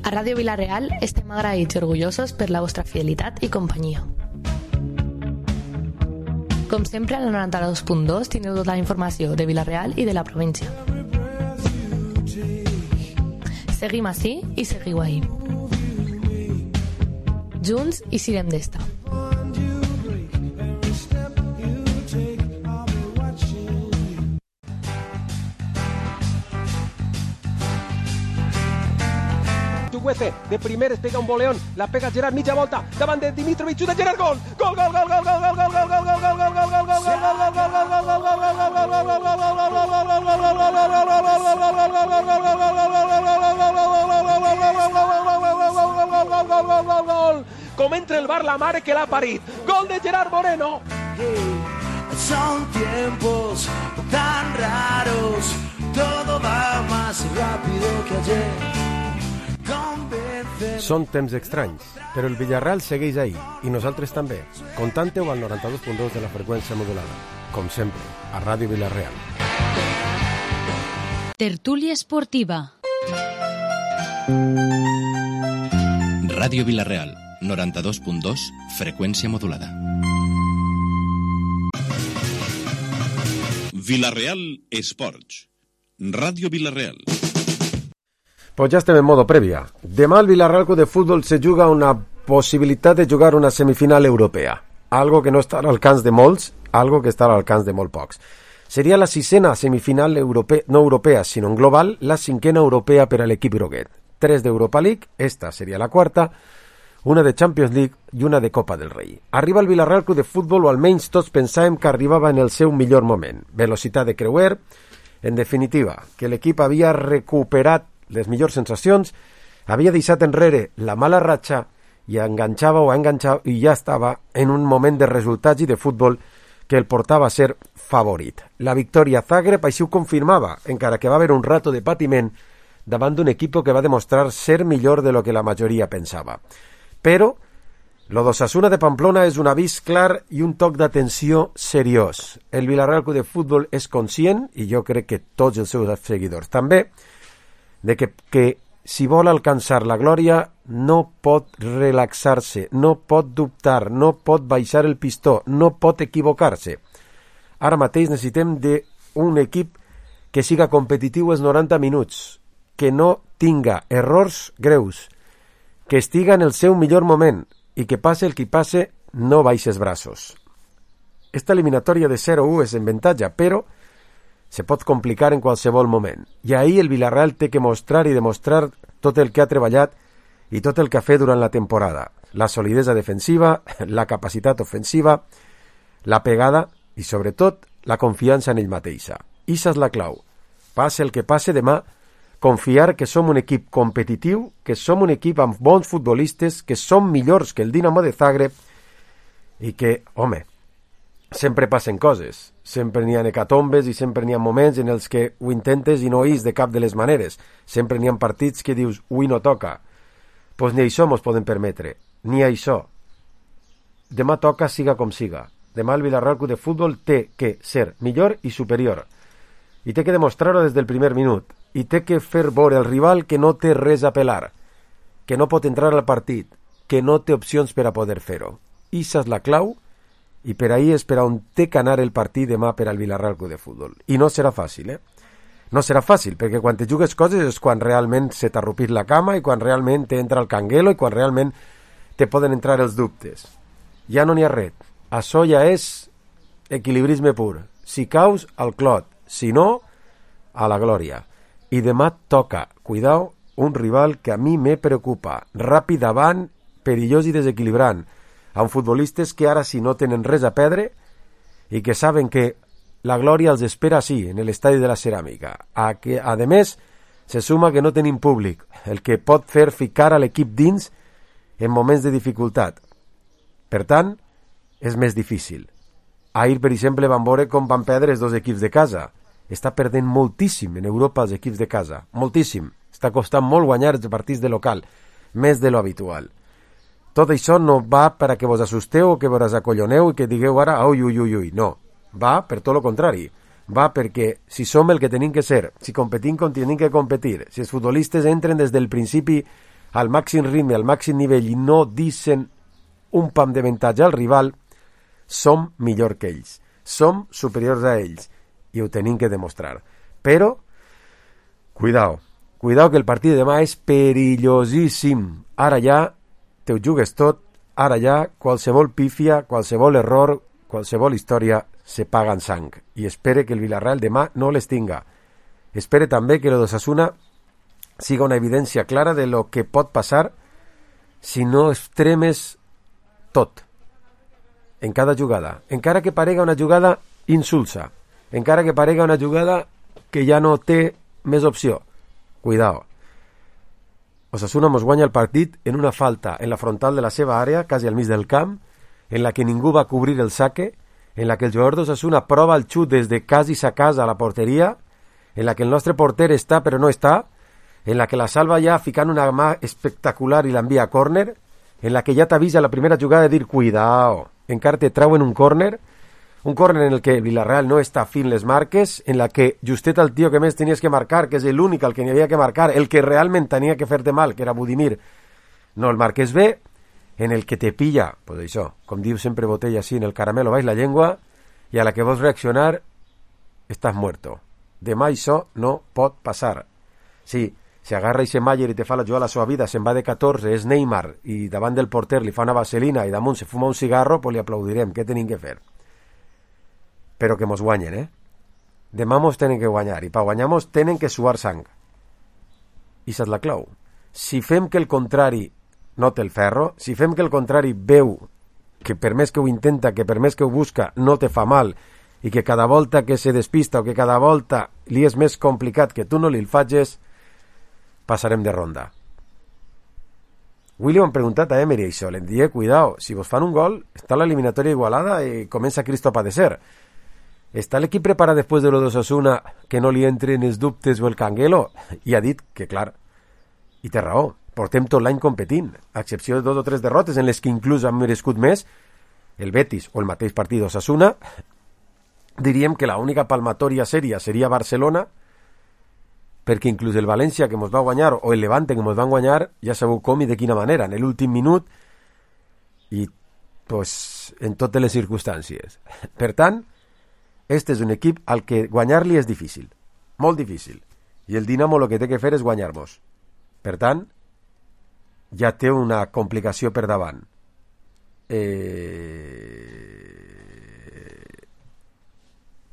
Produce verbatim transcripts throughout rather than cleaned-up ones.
A Ràdio Vila-real estem agraïts i orgullosos per la vostra fidelitat i companyia. Com sempre, al noranta-dos punt dos teniu tota la informació de Vila-real i de la província. Seguim ací i seguiu ahí. Junts i sirem d'esta. De primeres pega un voleón, la pega Gerard mitja volta, davant de Dimitrovic, de Gerard, gol! Gol, gol, gol, gol, gol, gol, gol, gol, gol, gol, gol, gol, gol, gol, gol, com entra el bar la mare que l'ha parit. Gol de Gerard Moreno. Son tiempos tan raros, todo va más rápido que ayer. Són temps estranys, però el Villarreal segueix ahí, i nosaltres també. Contante-ho al noranta-dos punt dos de la freqüència modulada. Com sempre, a Ràdio Vila-real. Tertúlia esportiva. Ràdio Vila-real, noranta-dos punt dos, freqüència modulada. Vila-real Esports. Ràdio Vila-real. Pues ya estem en modo prèvia. Demà el Villarreal Club de Fútbol se juga una possibilitat de jugar una semifinal europea. Algo que no està al alcance de molts, algo que està al alcance de molt pocs. Seria la sisena semifinal europea, no europea, sinó en global, la cinquena europea per a l'equip groguet. Tres d'Europa League, esta seria la quarta, una de Champions League i una de Copa del Rei. Arriba el Villarreal Club de Fútbol, o almenys tots pensàvem que arribava en el seu millor moment. Velocitat de creuer, en definitiva, que l'equip havia recuperat les millors sensacions, havia deixat enrere la mala ratxa i enganxava o enganxava i ja estava en un moment de resultats i de futbol que el portava a ser favorit. La victòria a Zagreb així ho confirmava, encara que va haver un rato de patiment davant d'un equip que va demostrar ser millor de lo que la majoria pensava. Però lo d'Osasuna de Pamplona és un avís clar i un toc d'atenció seriós. El Villarreal Club de Futbol és conscient, i jo crec que tots els seus seguidors també, de que, que si vol alcançar la glòria no pot relaxar-se, no pot dubtar, no pot baixar el pistó, no pot equivocar-se. Ara mateix necessitem d'un equip que siga competitiu els noranta minuts, que no tinga errors greus, que estiga en el seu millor moment i que passe el que passe no baixes braços. Esta eliminatòria de zero a u és en avantatge, però se pot complicar en qualsevol moment. I ahir el Villarreal té que mostrar i demostrar tot el que ha treballat i tot el que ha fet durant la temporada. La solidesa defensiva, la capacitat ofensiva, la pegada i, sobretot, la confiança en ell mateixa. Ixa és la clau. Passe el que passe demà, confiar que som un equip competitiu, que som un equip amb bons futbolistes, que som millors que el Dinamo de Zagreb i que, home, sempre passen coses, sempre n'hi ha hecatombes i sempre n'hi ha moments en els que ho intentes i no és de cap de les maneres, sempre n'hi ha partits que dius, ui, no toca, doncs pues ni això mos podem permetre, ni això. Demà toca siga com siga, demà el Villarreal Club de Futbol té que ser millor i superior, i té que demostrar-ho des del primer minut, i té que fer veure al rival que no té res a pelar, que no pot entrar al partit, que no té opcions per a poder fer-ho. Ixa és la clau, i per ahir és per on té que anar el partit demà per al Villarreal Club de Futbol. I no serà fàcil, eh? No serà fàcil, perquè quan te jugues coses és quan realment se t'ha rupit la cama i quan realment t'entra el canguelo i quan realment te poden entrar els dubtes. Ja no n'hi ha res. Això ja és equilibrisme pur. Si caus, al clot. Si no, a la glòria. I demà toca, cuidao, un rival que a mi me preocupa. Ràpid davant, perillós i desequilibrant. Amb futbolistes que ara sí no tenen res a perdre i que saben que la glòria els espera sí, en l'estadi de la Ceràmica. A, que, a més, se suma que no tenim públic, el que pot fer ficar a l'equip dins en moments de dificultat. Per tant, és més difícil. Ahir, per exemple, van veure com van perdre els dos equips de casa. Està perdent moltíssim en Europa els equips de casa, moltíssim. Està costant molt guanyar els partits de local, més de lo habitual. Tot això no va per a que vos assusteu o que vos acolloneu i que digueu ara ui, ui, ui, ui. No, va per tot el contrari. Va perquè si som el que tenim que ser, si competim com tenim que competir, si els futbolistes entren des del principi al màxim ritme, al màxim nivell, i no deixen un pam d'avantatge al rival, som millor que ells. Som superiors a ells. I ho tenim que demostrar. Però, cuidao, cuidao que el partit de demà és perillosíssim. Ara ja te ho jugues tot, ara ja qualsevol pífia, qualsevol error, qualsevol història se paga en sang. I espere que el Villarreal demà no les tinga. Espere també que lo d'Osasuna siga una evidència clara de lo que pot passar si no extremes tot en cada jugada, encara que parega una jugada insulsa, encara que parega una jugada que ja no té més opció. Cuidao. Osasuna mos guanya el partit en una falta en la frontal de la seva àrea, quasi al mig del camp, en la que ningú va cobrir el saque, en la que el jugador d'Osasuna prova el xut des de quasi sa casa a la porteria, en la que el nostre porter està però no està, en la que la salva ja ficant una mà espectacular i l'envia a córner, en la que ja t'avisa la primera jugada de dir cuidao, encara te trauen un córner, un córner en el que el Villarreal no està fint les marques, en la que justet el tio que més tenies que marcar, que és l'únic al que n'hi havia que marcar, el que realment tenia que fer-te mal, que era Budimir, no el marques bé, en el que te pilla, pues això, com diu sempre Botella així, en el caramelo baix la llengua, i a la que vols reaccionar, estàs muerto. Demà això no pot passar. Sí, si agarra i se Mayer i te fa la jugada a la seva vida, se'n va de catorze, és Neymar, i davant del porter li fa una vaselina i damunt se fuma un cigarro, pues li aplaudirem, què tenim que fer? Però que mos guanyen, eh? Demà mos tenen que guanyar, i per guanyar-mos tenen que suar sang. I és la clau. Si fem que el contrari no té el ferro, si fem que el contrari veu que per més que ho intenta, que per més que ho busca, no te fa mal, i que cada volta que se despista o que cada volta li és més complicat que tu no li el facis, passarem de ronda. Avui li han preguntat a Emery això, li diem, cuidao, si vos fan un gol, està l'eliminatòria igualada i comença Cristo a padecer. Està l'equip preparat després de lo d'Osasuna que no li entren els dubtes o el canguelo? I ha dit que, clar, i té raó, portem tot l'any competint, a excepció de dos o tres derrotes en les que inclús han merescut més, el Betis o el mateix partit d'Osasuna, diríem que l'única palmatòria sèria seria Barcelona, perquè inclús el València que mos va guanyar o el Levante que mos van guanyar ja sabeu com i de quina manera, en l'últim minut i pues, en totes les circumstàncies. Per tant, este és un equip al que guanyar-li és difícil, molt difícil, i el Dinamo el que té que fer és guanyar-nos. Per tant, ja té una complicació per davant. Eh...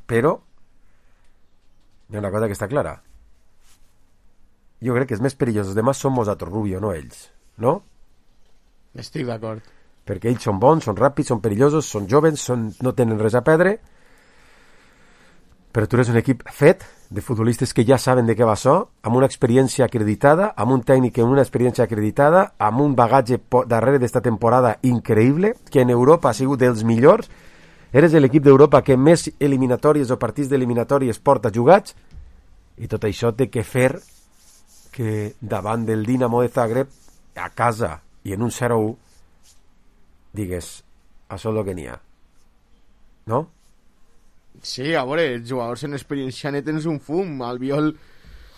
Però hi ha una cosa que està clara. Jo crec que els més perillosos demà som nosaltres, Rubio, no ells. No? Estic d'acord. Perquè ells són bons, són ràpids, són perillosos, són joves, són... no tenen res a perdre, però tu eres un equip fet de futbolistes que ja saben de què va això, amb una experiència acreditada, amb un tècnic amb una experiència acreditada, amb un bagatge darrere d'esta temporada increïble, que en Europa ha sigut dels millors. Eres l'equip d'Europa que més eliminatòries o partits d'eliminatòries porta jugats, i tot això té que fer que davant del Dinamo de Zagreb, a casa i en un zero u, digues, això és el que n'hi ha. No? Sí, a veure, els jugadors en experiència net tens un fum. Albiol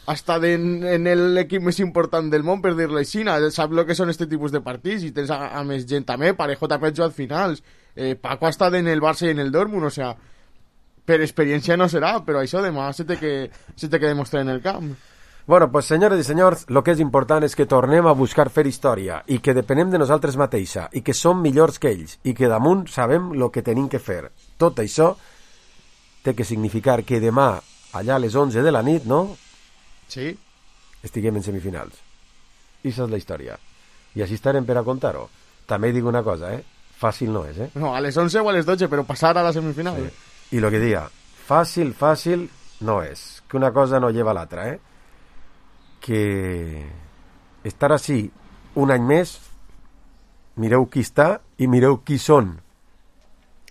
ha estat en, en l'equip més important del món, per dir-li així, sap el que són aquest tipus de partits, i tens a, a més gent també. Parejo també ha jugat finals, eh, Paco ha estat en el Barça i en el Dortmund, o sea, per experiència no serà, però això demà se té que, se té que demostrar en el camp. Bueno, pues senyores i senyors, el que és important és que tornem a buscar fer història i que depenem de nosaltres mateixa i que som millors que ells i que damunt sabem el que tenim que fer. Tot això té que significar que demà, allà a les onze de la nit, no? Sí. Estiguem en semifinals. I això és la història. I així estarem per a contar-ho. També dic una cosa, eh? Fàcil no és, eh? No, a les onze o a les dotze, però passar a la semifinal. Sí. I el que diga, fàcil, fàcil no és. Que una cosa no lleva l'altra, eh? Que estar així un any més, mireu qui està i mireu qui són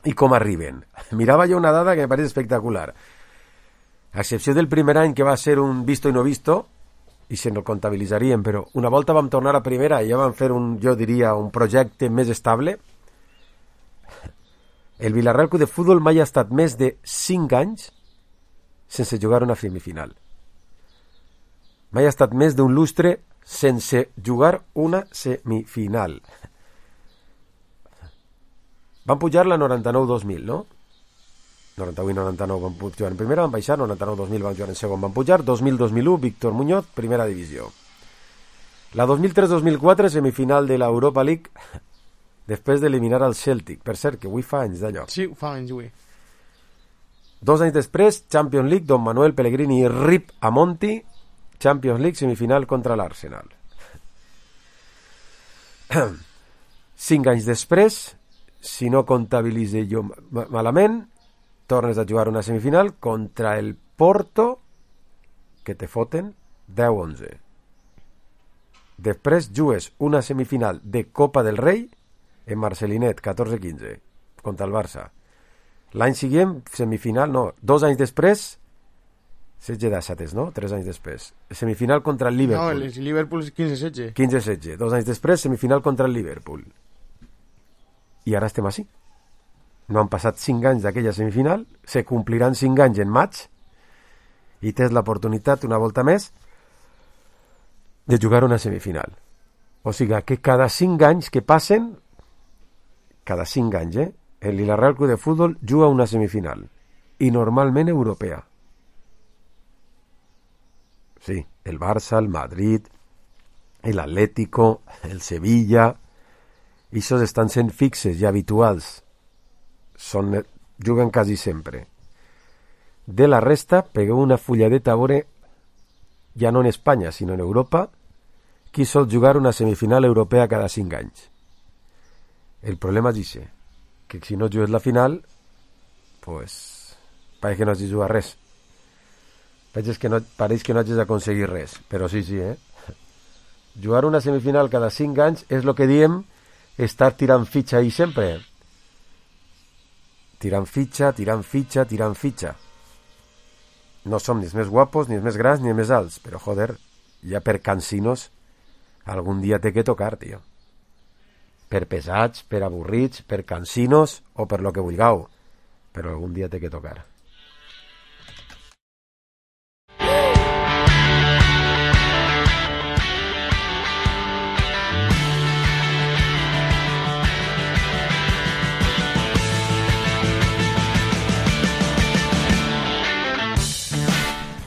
i com arriben. Mirava jo una dada que me pareix espectacular. A excepció del primer any que va ser un visto i no visto, i se no comptabilitzaríem, però una volta vam tornar a primera i ja vam fer un, jo diria, un projecte més estable. El Villarreal Club de Futbol mai ha estat més de cinc anys sense jugar una semifinal. Mai ha estat més d'un lustre sense jugar una semifinal. Van pujar la noranta-nou dos mil, no? noranta-vuit noranta-nou van jugar en primera, van baixar, noranta-nou dos mil van jugar en segon, van pujar, dos mil dos mil u, Víctor Muñoz, primera divisió. La dos mil tres dos mil quatre, semifinal de l'Europa League, després d'eliminar el Celtic. Per cert, que avui fa anys d'allò. Sí, fa anys, avui. Dos anys després, Champions League, Don Manuel Pellegrini i Rip Amonti, Champions League, semifinal contra l'Arsenal. Cinc anys després, si no comptabilitze jo malament, tornes a jugar una semifinal contra el Porto, que te foten deu onze. Després jugues una semifinal de Copa del Rei en Marcelinet, catorze quinze, contra el Barça. L'any següent, semifinal, no, dos anys després, setze d'Assates, no? Tres anys després. Semifinal contra el Liverpool. No, el Liverpool és quinze setze. quinze setze. Dos anys després, semifinal contra el Liverpool. I ara estem així. No han passat cinc anys d'aquella semifinal, se compliran cinc anys en maig, i tens l'oportunitat, una volta més, de jugar una semifinal. O sigui, que cada cinc anys que passen, cada cinc anys, eh, el Villarreal Club de Futbol juga una semifinal, i normalment europea. Sí, el Barça, el Madrid, el Atlético, el Sevilla, aquests estan sent fixes i habituals. Són, juguen quasi sempre. De la resta, pegueu una fulladeta a veure, ja no en Espanya, sinó en Europa, qui sol jugar una semifinal europea cada cinc anys. El problema és això, que si no jugues la final, pues, pareix que no hagis jugat res. Pareix que no, pareix que no hagis aconseguit res, però sí, sí, eh? Jugar una semifinal cada cinc anys és el que diem estar tirant fitxa ahí sempre. Tirant fitxa, tirant fitxa, tirant fitxa. No som ni els més guapos, ni els més grans, ni els més alts, però, joder, ja per cansinos algun dia té que tocar, tio. Per pesats, per avorrits, per cansinos o per lo que vulgueu, però algun dia té que tocar.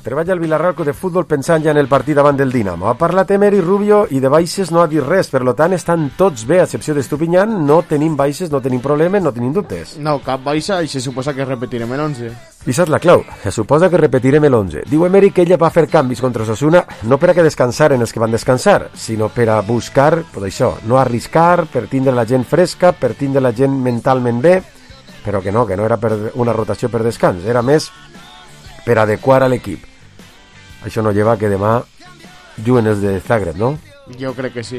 Treballa el Villarreal Club de Futbol pensant ja en el partit davant del Dinamo. Ha parlat Emery Rubio i de baixes no ha dit res, per tant estan tots bé, a excepció d'Estupinyan, no tenim baixes, no tenim problemes, no tenim dubtes. No, cap baixa i se suposa que repetirem l'onze. I saps la clau, se suposa que repetirem l'onze. Diu Emery que ella va fer canvis contra Osasuna no per a que descansaren els que van descansar, sinó per a buscar, pues això, no arriscar, per tindre la gent fresca, per tindre la gent mentalment bé, però que no, que no era per una rotació per descans, era més per adequar a l'equip. Això no lleva que demà juguen els de Zagreb, no? Jo crec que sí.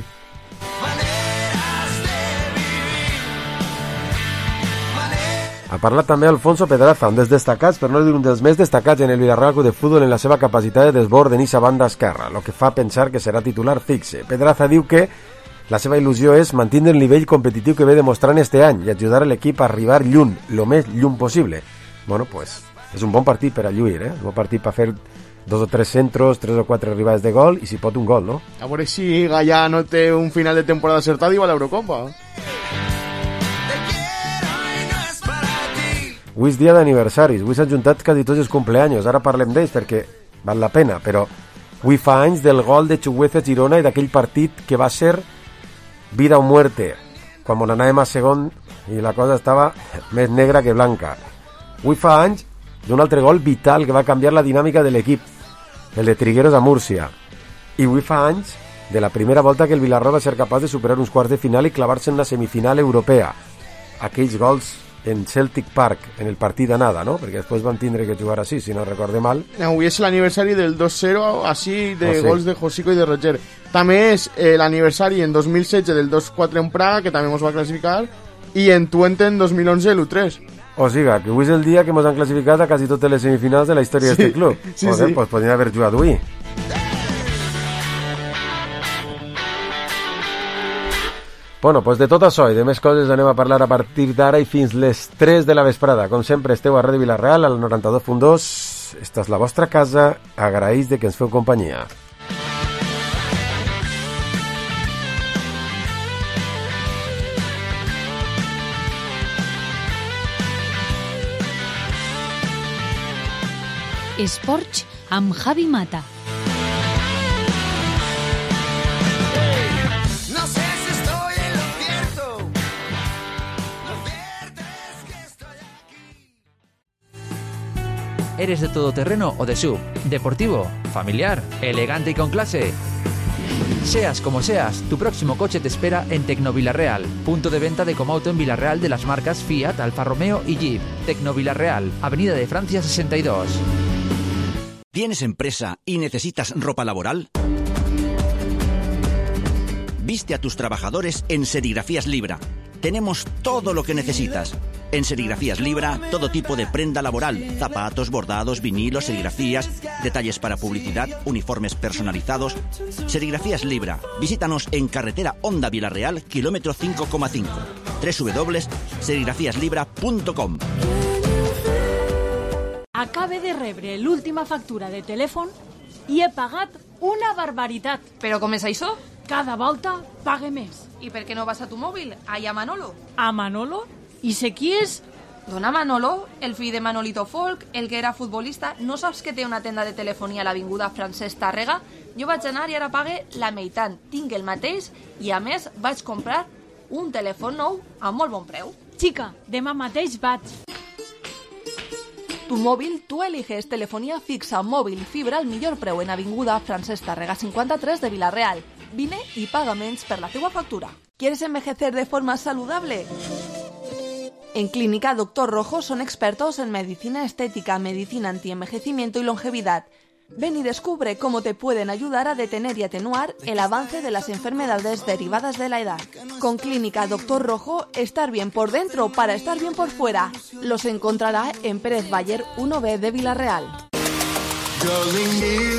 Ha parlat també Alfonso Pedraza, un dels destacats, per no dir un dels més destacats en el Villarreal Club de Futbol en la seva capacitat de desbord en eixa banda esquerra, el que fa pensar que serà titular fixe. Pedraza diu que la seva il·lusió és mantenir el nivell competitiu que ve demostrant este any i ajudar a l'equip a arribar lluny, lo més lluny possible. Bueno, pues, és un bon partit per a lluir, eh? Un bon partit per fer dos o tres centros, tres o quatre arribades de gol i si pot un gol, no? A veure si Gallà no té un final de temporada acertat i va a l'Eurocopa. Avui és dia d'aniversaris, avui s'han juntat quasi tots els cumpleaños, ara parlem d'ells perquè val la pena, però avui fa anys del gol de Chugueza Girona i d'aquell partit que va ser vida o muerte, quan anàvem a segon i la cosa estava més negra que blanca. Avui fa anys d'un altre gol vital que va canviar la dinàmica de l'equip, el de Trigueros a Múrcia. I avui fa anys de la primera volta que el Villarreal va ser capaç de superar uns quarts de final i clavar-se en una semifinal europea. Aquells gols en Celtic Park, en el partit d'anada, no? Perquè després van tindre que jugar així, si no recorde mal. Avui és l'aniversari del dos cero, així, de oh, sí. gols de Josico i de Roger. També és eh, l'aniversari en dos mil setze del dos quatre en Praga, que també ens va classificar, i en Twente en dos mil onze l'u tres. O sigui, que avui és el dia que ens han classificat a quasi totes les semifinals de la història sí, d'aquest club. Sí, Joder, sí. Pues podrien haver jugat avui. Bueno, pues de tot això i de més coses anem a parlar a partir d'ara i fins les tres de la vesprada. Com sempre, esteu a Ràdio Villarreal, al noranta-dos punt dos. Esta és la vostra casa. Agraïs de que ens feu companyia. Esports amb Javi Mata. No sé si estoy en lo cierto. Lo cierto es que estoy aquí. ¿Eres de todoterreno o de sub? ¿Deportivo? ¿Familiar? ¿Elegante y con clase? Seas como seas, tu próximo coche te espera en Tecnovilarreal, punto de venta de Comauto en Villarreal de las marcas Fiat, Alfa Romeo y Jeep. Tecnovilarreal, Avenida de Francia sesenta y dos. ¿Tienes empresa y necesitas ropa laboral? Viste a tus trabajadores en Serigrafías Libra. Tenemos todo lo que necesitas. En Serigrafías Libra, todo tipo de prenda laboral, zapatos, bordados, vinilos, serigrafías, detalles para publicidad, uniformes personalizados. Serigrafías Libra. Visítanos en carretera Honda Villarreal, kilómetro cinco coma cinco. doble u doble u doble u punt serigrafías libra punt com. Acabe de rebre l'última factura de telèfon i he pagat una barbaritat. Però com és això? Cada volta pague més. I per què no vas a tu mòbil? Allà a Manolo. A Manolo? I sé qui és? Dona Manolo, el fill de Manolito Folk, el que era futbolista. No saps que té una tenda de telefonia a l'avinguda Francesc Tàrrega? Jo vaig anar i ara pague la meitat. Tinc el mateix i a més vaig comprar un telèfon nou a molt bon preu. Xica, demà mateix vaig. Tu mòbil, tu eliges telefonía fixa, móvil, fibra al millor preu en avinguda Francesc Tàrrega cincuenta-tres de Villarreal. Vine y paga menys per la teua factura. ¿Quieres envejecer de forma saludable? En Clínica Doctor Rojo son expertos en medicina estética, medicina antienvejecimiento y longevidad. Ven y descubre cómo te pueden ayudar a detener y atenuar el avance de las enfermedades derivadas de la edad. Con Clínica Doctor Rojo, estar bien por dentro para estar bien por fuera. Los encontrará en Pérez Bayer uno B de Villarreal.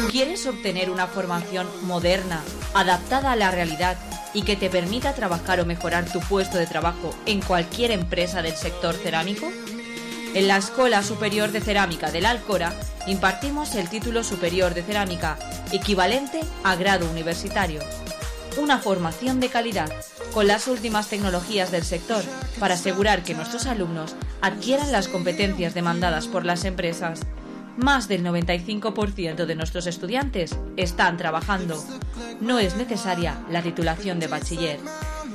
¿Quieres obtener una formación moderna, adaptada a la realidad y que te permita trabajar o mejorar tu puesto de trabajo en cualquier empresa del sector cerámico? En la Escuela Superior de Cerámica de la Alcora impartimos el título superior de cerámica, equivalente a grado universitario. Una formación de calidad, con las últimas tecnologías del sector, para asegurar que nuestros alumnos adquieran las competencias demandadas por las empresas. Más del noventa y cinco por ciento de nuestros estudiantes están trabajando. No es necesaria la titulación de bachiller.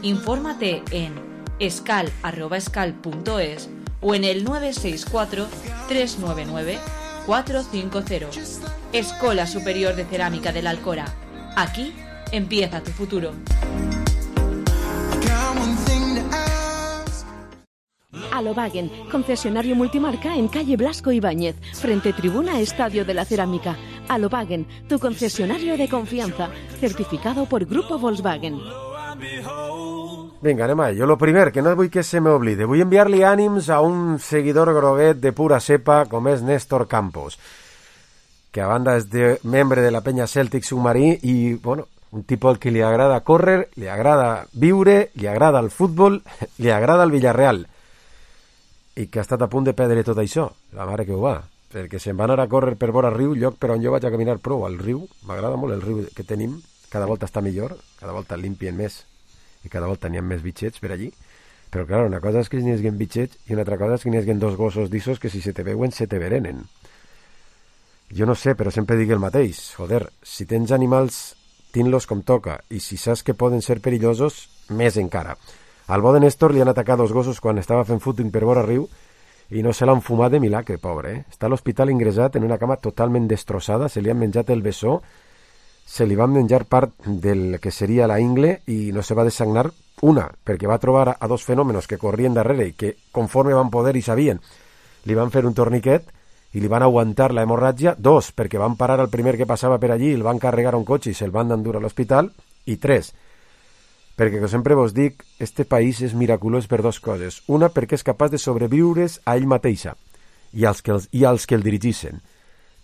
Infórmate en escal arroba escal punto es o en el nueve seis cuatro, tres nueve nueve, cuatro cinco cero. Escuela Superior de Cerámica de la Alcora. Aquí empieza tu futuro. Alobagen, concesionario multimarca en calle Blasco Ibáñez, frente tribuna Estadio de la Cerámica. Alobagen, tu concesionario de confianza, certificado por Grupo Volkswagen. Vinga, anem a ello. Lo primer, que no vull que se m'oblide, vull enviar-li ànims a un seguidor groguet de pura cepa com és Néstor Campos, que a banda és de, membre de la penya Celtic Submarí i, bueno, un tipus al que li agrada córrer, li agrada viure, li agrada el futbol, li agrada el Villarreal, i que ha estat a punt de perdre tot això, la mare que ho va, perquè se'n va anar a córrer per vora riu, lloc per on jo vaig a caminar prou, al riu, m'agrada molt el riu que tenim, cada volta està millor, cada volta limpien més, i cada volta n'hi ha més bitxets per allí, però clar, una cosa és que n'hi haguen bitxets i una altra cosa és que n'hi haguen dos gossos d'issos que si se te veuen se te verenen. Jo no sé, però sempre dic el mateix, joder, si tens animals, tin-los com toca, i si saps que poden ser perillosos, més encara. Al bo de Néstor li han atacat dos gossos quan estava fent footing per vora riu i no se l'han fumat de milagre, pobre, eh? Està a l'hospital ingressat en una cama totalment destrossada, se li han menjat el bessó, se li van menjar part del que seria la ingle i no se va desagnar una, perquè va trobar a dos fenòmenos que corrien darrere i que conforme van poder i sabien, li van fer un torniquet i li van aguantar la hemorràgia. Dos, perquè van parar al primer que passava per allí, el van carregar a un cotxe i se'l van endur a l'hospital. I tres, perquè, com sempre vos dic, este país és miraculós per dues coses. Una, perquè és capaç de sobreviure's a ell mateixa i als que, els, i als que el dirigissen.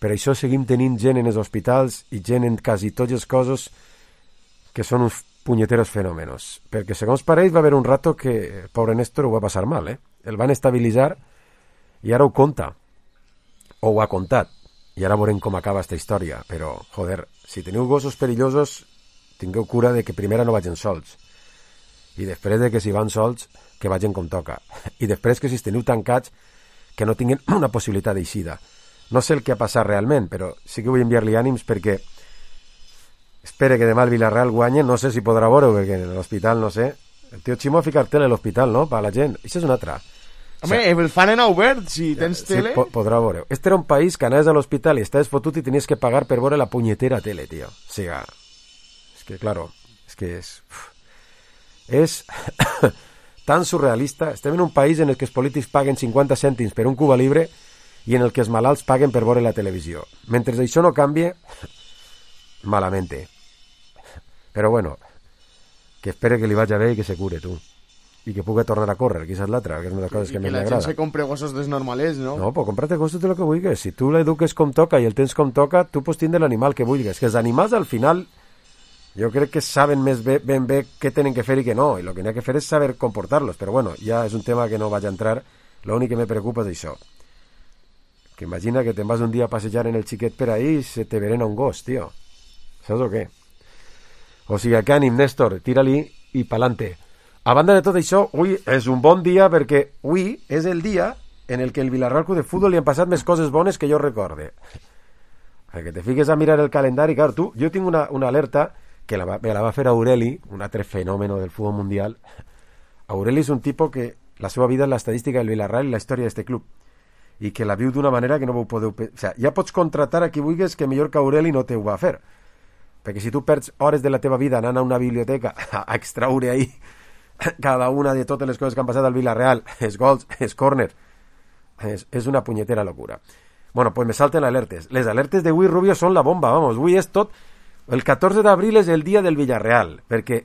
Per això seguim tenint gent en els hospitals i gent en quasi tots els cossos que són uns punyeteros fenòmenos. Perquè, segons pareix, va haver un rato que el pobre Néstor ho va passar mal, eh? El van estabilitzar i ara ho conta. O ho ha contat. I ara veurem com acaba esta història. Però, joder, si teniu gossos perillosos, tingueu cura de que primera no vagin sols. I després de que si van sols, que vagin com toca. I després que si esteniu tancats, que no tinguin una possibilitat d'eixida. No sé el que ha passat realment, però sí que vull enviar-li ànims perquè espere que demà el Villarreal guanye, no sé si podrà veure, perquè en l'hospital, no sé. El tio Ximo ha ficat tele a l'hospital, no?, per a la gent. Això és una altra. Home, o sea, el fan en obert, si tens sí, tele... Po podrà veure. Este era un país que anaves a l'hospital i estaves fotut i tenies que pagar per veure la punyetera tele, tio. O sigui, és que, claro, és que és... És tan surrealista. Estem en un país en el que els polítics paguen cinquanta cèntims per un Cuba Libre i en el que els malalts paguen per veure la televisió. Mentre això no canvie, malamente. Però bueno, que espere que li vagi bé i que se cure, tu. I que pugui tornar a córrer, que és l'altra, que és una de les coses que, que més li agrada. I que la gent se compre gossos desnormalers, no? No, pues comprate gossos de lo que vulguis. Si tu l'eduques com toca i el tens com toca, tu pots tindre l'animal que vulguis. Que els animals, al final, jo crec que saben més bé, ben bé què tenen que fer i què no, i el que n'hi ha que fer és saber comportar-los. Però bueno, ja és un tema que no vaig a entrar. L'únic que me preocupa és això. Que imagina que te'n vas un dia a passejar en el xiquet per ahí i se te verena un gos, tio. Saps o què? O sigui, que ànim, Néstor, tira-li i pa'lante. A banda de tot això, avui és un bon dia perquè avui és el dia en el que el Villarreal Club de Futbol li han passat més coses bones que jo recorde. Que te fiques a mirar el calendari, clar, tu, jo tinc una, una alerta que la va, me la va fer Aureli, un altre fenòmeno del futbol mundial. Aureli és un tipus que la seva vida és l'estadística del Villarreal i la història d'este club i que la viu d'una manera que no vau podeu... O sea, ja pots contratar a qui vulguis que millor que Aureli no te ho va fer. Perquè si tu perds hores de la teva vida anant a una biblioteca a extraure ahí cada una de totes les coses que han passat al Villarreal, els gols, els corners, és, és una punyetera locura. Bueno, pues me salten alertes. Les alertes d'avui, Rubio, són la bomba, vamos. Avui és tot... El catorze d'abril és el dia del Villarreal, perquè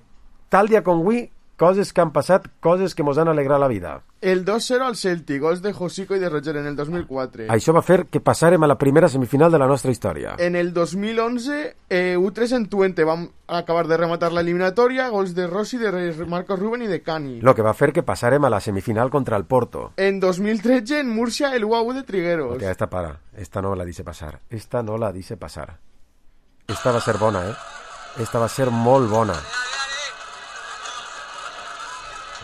tal dia com avui, coses que han passat, coses que mos han alegrat la vida. El dos cero al Celtic, gols de Josico i de Roger en el dos mil quatre. Això va fer que passàrem a la primera semifinal de la nostra història. En el dos mil onze, eh, U tres en Twente, vam acabar de rematar la eliminatòria, gols de Rossi, de Marcos Ruben i de Cani. Lo que va fer que passàrem a la semifinal contra el Porto. En dos mil tretze, en Murcia, el U A U de Trigueros. Hòstia, esta para, esta no la dice passar. Esta no la dice passar. Esta va ser bona, eh? Esta va ser molt bona.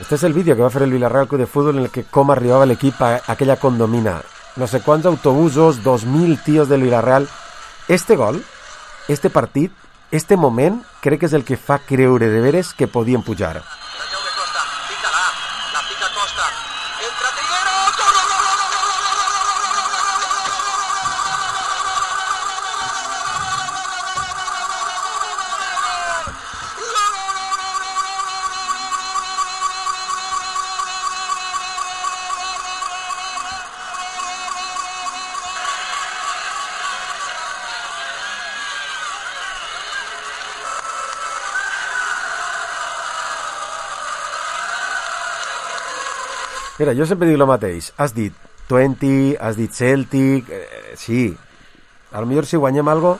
Este és el vídeo que va fer el Villarreal Club de Futbol en el que com arribava l'equip a aquella condomina. No sé quants autobusos, dos mil tios del Villarreal. Este gol, este partit, este moment, crec que és el que fa creure de veres que podien pujar. Mira, jo sempre dic el mateix. Has dit Twente, has dit Celtic... Eh, sí. A lo millor si guanyem algo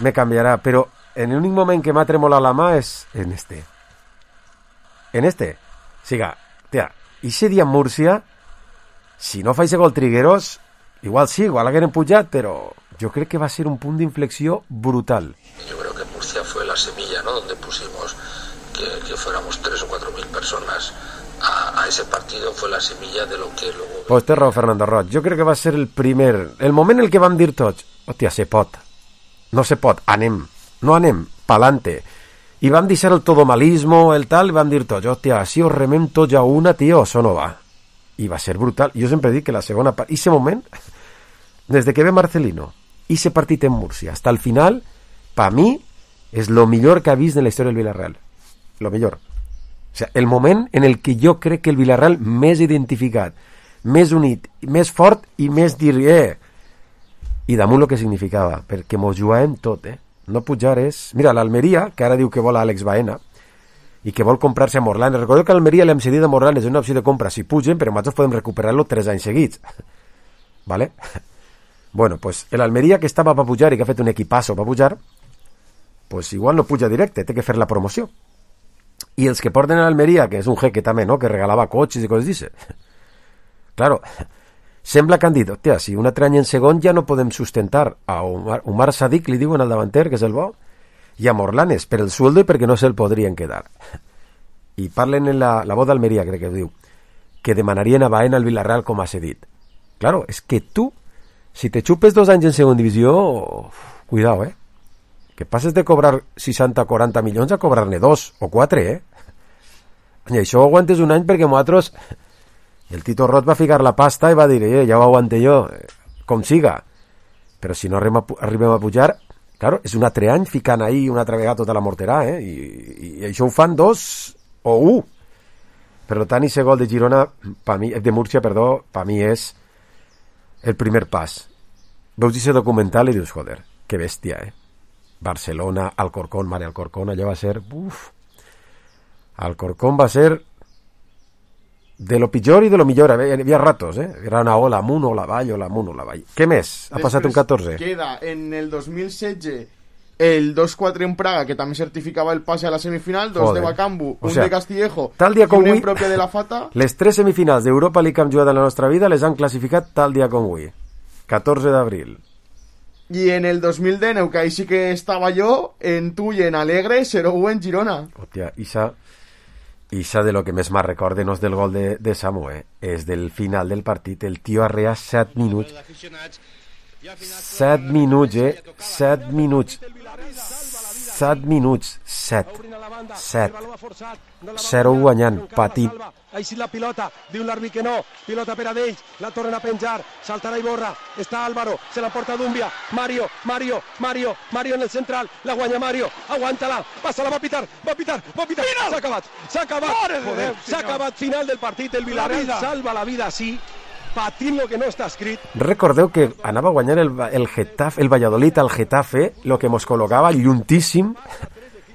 me canviarà, però en l'únic moment que m'ha tremolat la mà és en este. En este. Siga, tia, ixe dia en Múrcia, si no fa ixe gol Trigueros, igual sí, igual hagueren pujat, però jo crec que va ser un punt d'inflexió brutal. Yo creo que Murcia fue la semilla, ¿no?, donde pusimos que, que fuéramos tres o cuatro mil personas a, a ese partido, fue la semilla de lo que luego... Pues té raó Fernando Roig, jo crec que va ser el primer, el moment en el que vam dir tots, hòstia, se pot, no se pot, anem, no anem, pa'lante, i vam deixar el todomalismo, el tal, i vam dir tots, hòstia, si ho remem tots a una, tio, això no va, i va ser brutal. Jo sempre dic que la segona part, i ese moment, des de que ve Marcelino, i ese partit en Múrcia, hasta el final, pa mi, és lo millor que ha vist en la història del Villarreal. Lo millor. O sea, el moment en el que jo crec que el Villarreal més identificat, més unit, més fort i més dir, eh, i damunt el que significava, perquè mos jugàvem tot, eh? No pujar és... Mira, l'Almeria, que ara diu que vol a Àlex Baena, i que vol comprar-se a Morlanes. Recordeu que l'Almeria l'hem cedit a Morlanes, és una opció de compra si pugen, però nosaltres podem recuperar-lo tres anys seguits. ¿Vale? Bueno, pues l'Almeria que estava per pujar i que ha fet un equipasso per pujar, pues igual no puja directe, té que fer la promoció. I els que porten a l'Almeria, que és un jeque també, no?, que regalava cotxes i coses d'això. Claro, sembla que han dit, hòstia, si un altre any en segon ja no podem sustentar a Omar, Omar Sadik, li diuen al davanter, que és el bo, i a Morlanes, per el sueldo i perquè no se'l podrien quedar. I parlen en la, la voz d'Almeria, crec que diu, que demanarien a Baena al Villarreal com ha cedit. Claro, és que tu, si te xupes dos anys en segona divisió, cuidao, eh? Que passes de cobrar seixanta o quaranta milions a cobrar-ne dos o quatre, eh? I això ho aguantes un any perquè nosaltres... El Tito Rot va ficar la pasta i va dir, eh, ja ho aguante jo, com siga. Però si no arribem a pujar, claro, és un altre any ficant ahí una altra vegada tota la morterà, eh? I, i, i això ho fan dos o un. Per tant, i gol de Girona, pa mi, de Múrcia, perdó, per mi és el primer pas. Veus aquest documental i dius, joder, que bèstia, eh? Barcelona, Alcorcón, Mare Alcorcón, allò va ser... Uf. Alcorcón va ser de lo pitjor i de lo millor. Hi havia ratos, eh? Era una ola amunt, ola avall, ola amunt, ola avall. Què més? Ha Després passat un catorze. Queda en el dos mil setze el dos quatre en Praga, que també certificava el pase a la semifinal, dos Joder. de Bacambu, O un sea, de Castillejo tal dia i com un avui, en pròpia de la Fata. Les tres semifinals d'Europa League que hem jugat en la nostra vida les han classificat tal dia com avui. catorze d'abril. I en el dos mil dinou, que ahí sí que estava jo, en tu i en Alegre, zero u en Girona. Hòstia, Isa... Isa de lo que més me recorda no és del gol de, de Samu, eh? És del final del partit. El tio arrea set minuts. set minuts, eh? set minuts. set minuts. set. set. zero guanyant, patint. Així la pilota, diu l'àrbit que no, pilota per a d'ells, la tornen a penjar, saltarà Iborra, està Álvaro, se la porta Dumbia, Mario, Mario, Mario, Mario en el central, la guanya Mario, aguanta-la, passa-la, va a pitar, va a pitar, va a pitar, s'ha acabat, s'ha acabat, joder, s'ha acabat, final del partit, el Villarreal salva la vida, sí, patint lo que no està escrit. Recordeu que anava a guanyar el, el Getafe, el Valladolid al Getafe, lo que mos col·locava lluntíssim.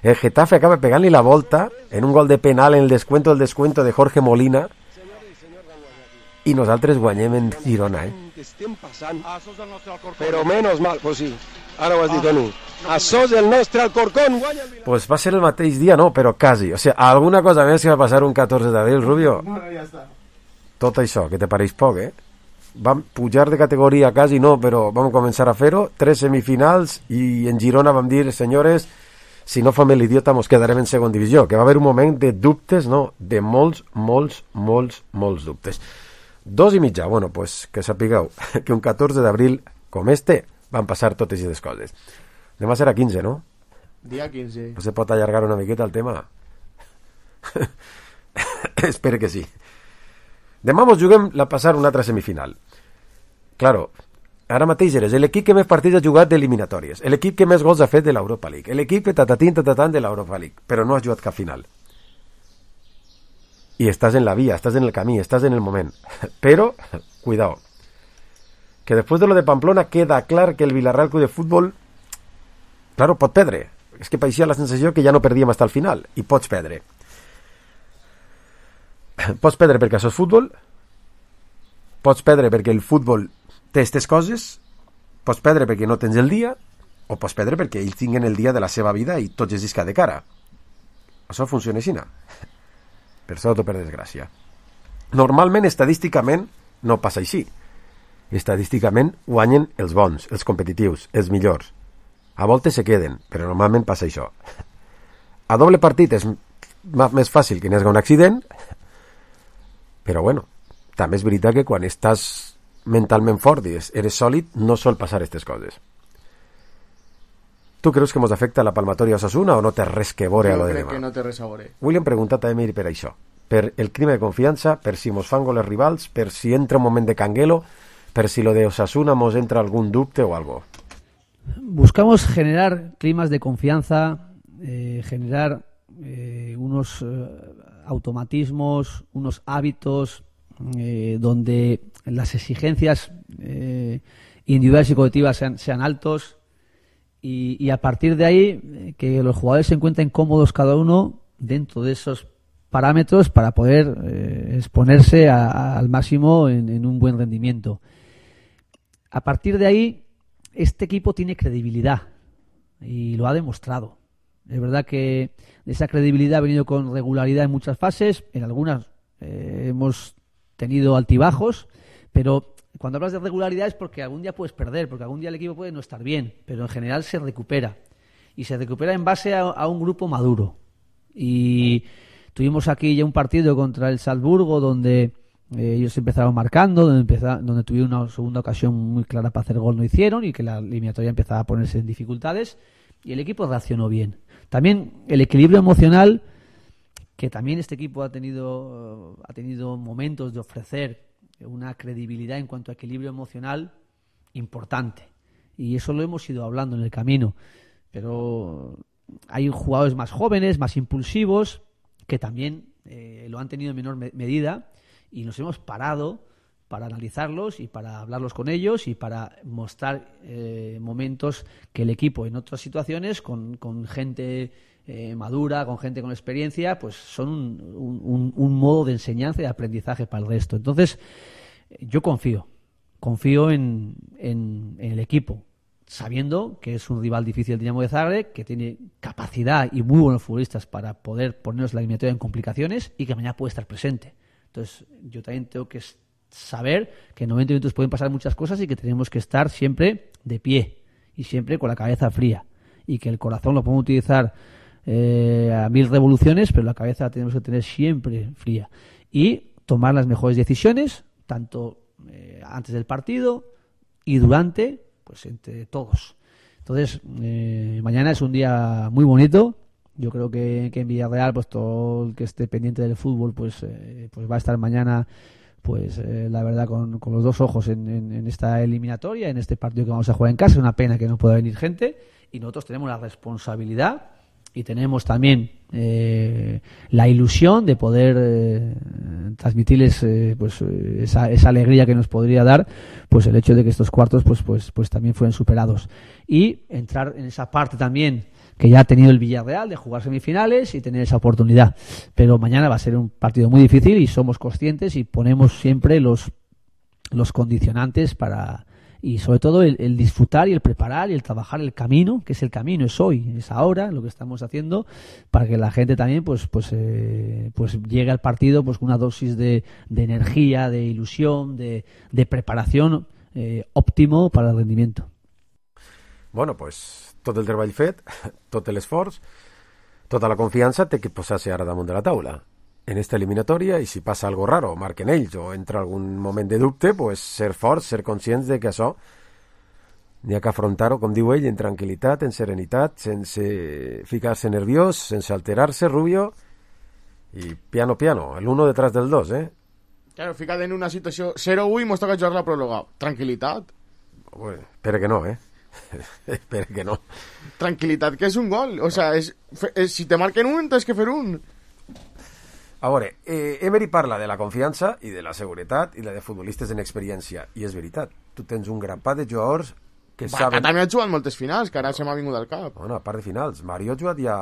El Getafe acaba pegant-li la volta en un gol de penal en el descuento del descuento de Jorge Molina i nosaltres guanyem en Girona, eh? Estem passant, però menos mal, pues sí, ara ho has dit, Toni, això és el nostre Alcorcón, guanya el Villarreal. Pues va ser el mateix dia, no, però quasi. O sea, alguna cosa més que va passar un catorze d'abril, Rubio. Tot això, que te pareix poc, eh? Vam pujar de categoria quasi, no, però vam començar a fer-ho, tres semifinals, i en Girona vam dir, senyores, si no fem l'idiota mos quedarem en segona divisió, que va haver un moment de dubtes, no, de molts, molts, molts, molts dubtes. Dos i mitja, bueno, pues que sapigueu que un catorze d'abril com este van passar totes aquestes coses. Demà serà quinze, no? Dia quinze. No se pot allargar una miqueta el tema? Espero que sí. Demà mos juguem la passar una altra semifinal. Claro, ara mateix eres l'equip que més partits ha jugat d'eliminatòries, l'equip que més gols ha fet de l'Europa League, l'equip que tatatín tatatan de l'Europa League, però no has jugat cap final. I estàs en la via, estàs en el camí, estàs en el moment. Però, cuidao, que després de lo de Pamplona queda clar que el Villarreal Club de Futbol, claro, pot perdre. És que pareixia la sensació que ja no perdíem fins al final, i pots perdre. Pots perdre perquè això és futbol, pots perdre perquè el futbol té aquestes coses, pots perdre perquè no tens el dia, o pots perdre perquè ells tinguen el dia de la seva vida i tots es disca de cara. Això funciona així, no? Per sort o per desgràcia. Normalment, estadísticament, no passa així. Estadísticament guanyen els bons, els competitius, els millors. A voltes se queden, però normalment passa això. A doble partit és més fàcil que n'hi hagi un accident, però bueno, també és veritat que quan estàs mentalment fort i eres sòlid, no sol passar aquestes coses. Tu creus que mos afecta la palmatòria Osasuna o no té res que veure a lo de demà? Jo crec que no té res a veure. William pregunta també per això, per el clima de confiança, per si mos fan goles rivals, per si entra un moment de canguelo, per si lo de Osasuna mos entra algún dubte o algo. Buscamos generar climas de confianza, eh, generar eh, unos eh, automatismos, unos hábitos eh, donde las exigencias eh, individuales y colectivas sean, sean altos y, y a partir de ahí eh, que los jugadores se encuentren cómodos cada uno dentro de esos parámetros para poder eh, exponerse a, a, al máximo en, en un buen rendimiento. A partir de ahí, este equipo tiene credibilidad y lo ha demostrado. Es verdad que esa credibilidad ha venido con regularidad en muchas fases, en algunas eh, hemos tenido altibajos, pero cuando hablas de regularidad es porque algún día puedes perder, porque algún día el equipo puede no estar bien, pero en general se recupera. Y se recupera en base a, a un grupo maduro. Y tuvimos aquí ya un partido contra el Salzburgo donde Eh, ellos empezaron marcando, donde, empeza, donde tuvieron una segunda ocasión muy clara para hacer gol, no hicieron, y que la eliminatoria empezaba a ponerse en dificultades, y el equipo reaccionó bien. También el equilibrio emocional, que también este equipo ha tenido, ha tenido momentos de ofrecer una credibilidad en cuanto a equilibrio emocional importante, y eso lo hemos ido hablando en el camino, pero hay jugadores más jóvenes, más impulsivos, que también eh, lo han tenido en menor me- medida, y nos hemos parado para analizarlos y para hablarlos con ellos y para mostrar eh, momentos que el equipo en otras situaciones con, con gente eh, madura, con gente con experiencia, pues son un, un, un modo de enseñanza y de aprendizaje para el resto. Entonces, yo confío, confío en, en, en el equipo, sabiendo que es un rival difícil el Dinamo de Zagreb, que tiene capacidad y muy buenos futbolistas para poder ponernos la eliminatoria en complicaciones y que mañana puede estar presente. Entonces, yo también tengo que saber que en noventa minutos pueden pasar muchas cosas y que tenemos que estar siempre de pie y siempre con la cabeza fría, y que el corazón lo podemos utilizar eh, a mil revoluciones, pero la cabeza la tenemos que tener siempre fría y tomar las mejores decisiones, tanto eh, antes del partido y durante, pues entre todos. Entonces, eh, mañana es un día muy bonito. Yo creo que, que en Villarreal, pues todo el que esté pendiente del fútbol, pues, eh, pues va a estar mañana, pues eh, la verdad, con, con los dos ojos en, en, en esta eliminatoria, en este partido que vamos a jugar en casa. Es una pena que no pueda venir gente, y nosotros tenemos la responsabilidad y tenemos también eh, la ilusión de poder eh, transmitirles eh, pues esa, esa alegría que nos podría dar pues el hecho de que estos cuartos pues pues pues también fueran superados, y entrar en esa parte también que ya ha tenido el Villarreal de jugar semifinales y tener esa oportunidad. Pero mañana va a ser un partido muy difícil y somos conscientes y ponemos siempre los los condicionantes para, y sobre todo el, el disfrutar y el preparar y el trabajar el camino, que es el camino, es hoy, es ahora lo que estamos haciendo, para que la gente también pues pues eh, pues llegue al partido pues con una dosis de, de energía, de ilusión, de, de preparación eh, óptimo para el rendimiento. Bueno, pues tot el treball fet, tot l'esforç, tota la confiança té que posar-se ara damunt de la taula en esta eliminatòria, i si passa algo raro, marquen ells, o entra algun moment de dubte, pues ser forts, ser conscients de que això n'hi ha que afrontar-ho, com diu ell, en tranquil·litat, en serenitat, sense ficar-se nerviós, sense alterar-se, Rubio, i piano piano, el uno detrás del dos, eh? Claro, fica't en una situació zero u i mos toca jugar la pròrroga. Tranquil·litat. Bueno, espera que no, eh? Espera que no. Tranquil·litat, que és un gol. O sea, és, és, si te marquen un, tens que fer un. A veure, eh, Emery parla de la confiança i de la seguretat i la de futbolistes en experiència, i és veritat, tu tens un grapat de jugadors que Va, saben... que també ha jugat moltes finals, que ara se m'ha vingut al cap. Bueno, a part de finals, Mario ha jugat ja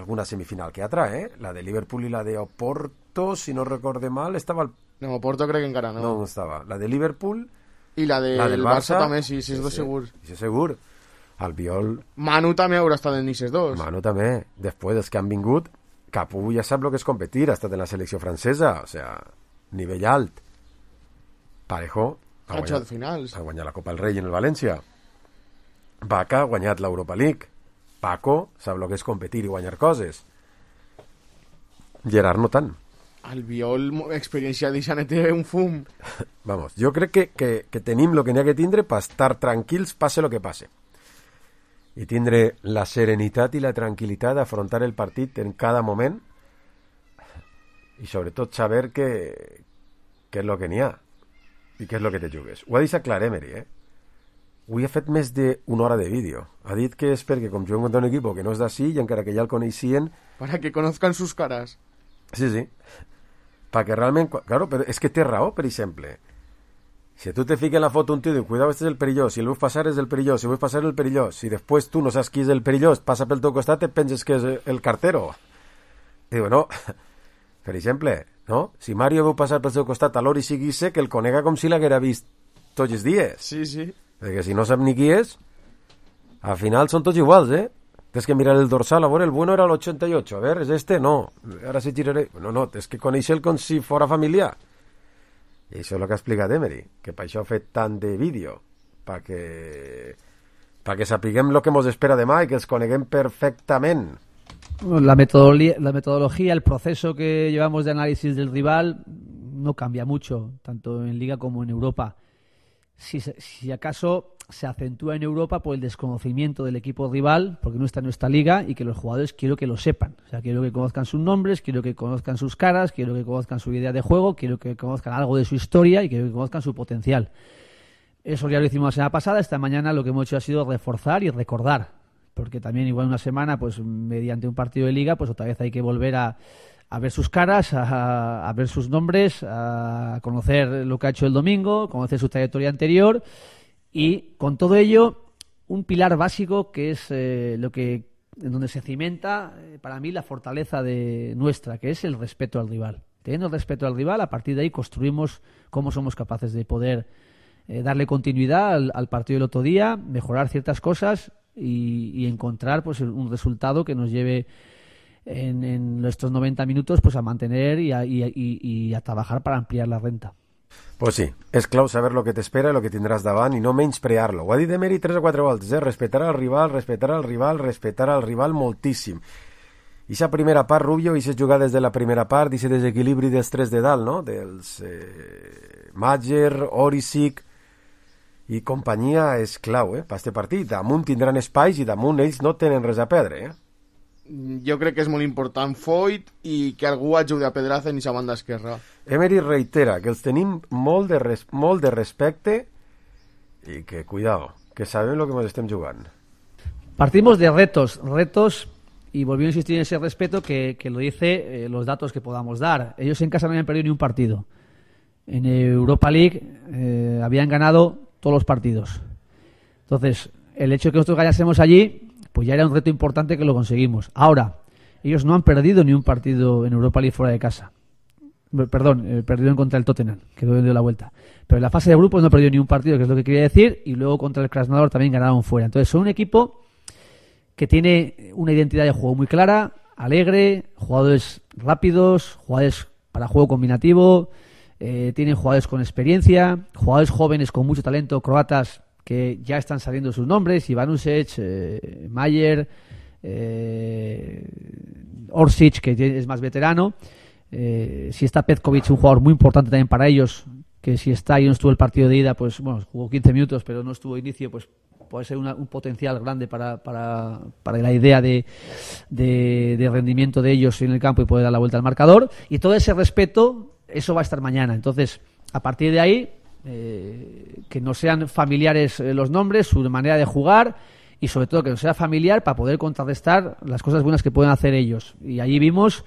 alguna semifinal que altra, eh? La de Liverpool i la de Oporto, si no recorde mal, estava... Al... No, Oporto crec que encara no. No, no estava. La de Liverpool... I la, de la del Barça, Barça també, sí, sí, és dos sí, segur. Sí, segur. Albiol... Manu també haurà estat en Nices dos. Manu també. Després dels que han vingut, Capu ja sap el que és competir, ha estat en la selecció francesa, o sea, nivell alt. Parejo ha Ha guanyat, jugat finals. ha guanyat la Copa del Rei en el València. Vaca ha guanyat l'Europa League. Paco sap el que és competir i guanyar coses. Gerard no tant. Albiol, experiència d'Ixane té un fum. Vamos, jo crec que, que, que tenim el que n'hi ha que tindre per estar tranquils passe el que passe. I tindre la serenitat i la tranquil·litat d'afrontar el partit en cada moment i sobretot saber que, que és el que n'hi ha i què és el que te jugues. Ho ha deixat clar Emery, eh? Avui ha fet més d'una hora de vídeo. Ha dit que és perquè com juguem contra un equip que no és d'ací i encara que ja el coneixien... Para que conozcan sus caras. Sí, sí. Perquè realment... Claro, però és que té raó, per exemple. Si tu te fiques en la foto un tío y cuidado, este es el perillós, si el vull passar és el perillós, si vull passar el perillós, si després tu no saps qui és el perillós, passa pel teu costat, et penses que és el cartero. I diu, no, per exemple, no? Si Mario veu passar pel seu costat a l'hora i sigui sé que el conega com si l'haguera vist tots els dies. Sí, sí. Perquè si no sap ni qui és, al final són tots iguals, eh? Tens que mirar el dorsal, a veure, el bueno era el ochenta y ocho, a ver, ¿es este? No, ahora sí giraré. No, no, és que coneix el com si fora familiar. I això és el que ha explicat Emery, que per això ha fet tant de vídeo, perquè perquè sapiguem el que ens espera demà i que els coneguem perfectament. La metodología, la metodología, el proceso que llevamos de análisis del rival no cambia mucho, tanto en Liga como en Europa. Si, si acaso se acentúa en Europa por el desconocimiento del equipo rival, porque no está en nuestra liga, y que los jugadores quiero que lo sepan. O sea, quiero que conozcan sus nombres, quiero que conozcan sus caras, quiero que conozcan su idea de juego, quiero que conozcan algo de su historia y quiero que conozcan su potencial. Eso ya lo hicimos la semana pasada. Esta mañana lo que hemos hecho ha sido reforzar y recordar, porque también igual una semana, pues mediante un partido de liga, pues otra vez hay que volver a a ver sus caras, a, a ver sus nombres, a conocer lo que ha hecho el domingo, conocer su trayectoria anterior, y con todo ello un pilar básico que es eh, lo que en donde se cimenta eh, para mí la fortaleza de nuestra, que es el respeto al rival. Teniendo respeto al rival, a partir de ahí construimos cómo somos capaces de poder eh, darle continuidad al, al partido del otro día, mejorar ciertas cosas y, y encontrar pues un resultado que nos lleve En, en nuestros noventa minutos pues a mantener y a, y, y, y a trabajar para ampliar la renta. Pues sí, és clau saber lo que t'espera i lo que tindràs davant i no menysprear-lo. Ho ha dit Emery tres o quatre voltes, eh? Respetar al rival, respetar al rival, respetar al rival moltíssim. I aquesta primera part, Rubio, i aquestes jugades de la primera part, i aquest desequilibri dels tres de dalt, no? Dels eh, Majer, Orisic i companyia és clau, eh? Per este partit. Damunt tindran espais i damunt ells no tenen res a perdre, eh? Jo crec que és molt important Foyt i que algú ajudi a Pedraza en aquesta banda esquerra. Emery reitera que els tenim molt de, res, molt de respecte i que, cuidado, que sabem lo que ens estem jugant. Partimos de retos, retos, y volviendo a insistir en ese respeto que, que lo dice eh, los datos que podamos dar. Ellos en casa no habían perdido ni un partido. En Europa League eh, habían ganado todos los partidos. Entonces, el hecho de que nosotros ganásemos allí, pues ya era un reto importante que lo conseguimos. Ahora, ellos no han perdido ni un partido en Europa League fuera de casa. Perdón, eh, perdieron contra el Tottenham, que dio la vuelta. Pero en la fase de grupos no perdió ni un partido, que es lo que quería decir, y luego contra el Krasnodar también ganaron fuera. Entonces son un equipo que tiene una identidad de juego muy clara, alegre, jugadores rápidos, jugadores para juego combinativo, eh, tienen jugadores con experiencia, jugadores jóvenes con mucho talento, croatas, que ya están saliendo sus nombres, Ivanušec, eh, Majer, eh, Orsic, que es más veterano, eh, si está Petkovic, un jugador muy importante también para ellos, que si está y no estuvo el partido de ida, pues bueno, jugó quince minutos, pero no estuvo inicio, pues puede ser una, un potencial grande para, para, para la idea de, de, de rendimiento de ellos en el campo y poder dar la vuelta al marcador, y todo ese respeto, eso va a estar mañana. Entonces, a partir de ahí, Eh, que no sean familiares eh, los nombres, su manera de jugar, y sobre todo que no sea familiar para poder contrarrestar las cosas buenas que pueden hacer ellos. Y allí vimos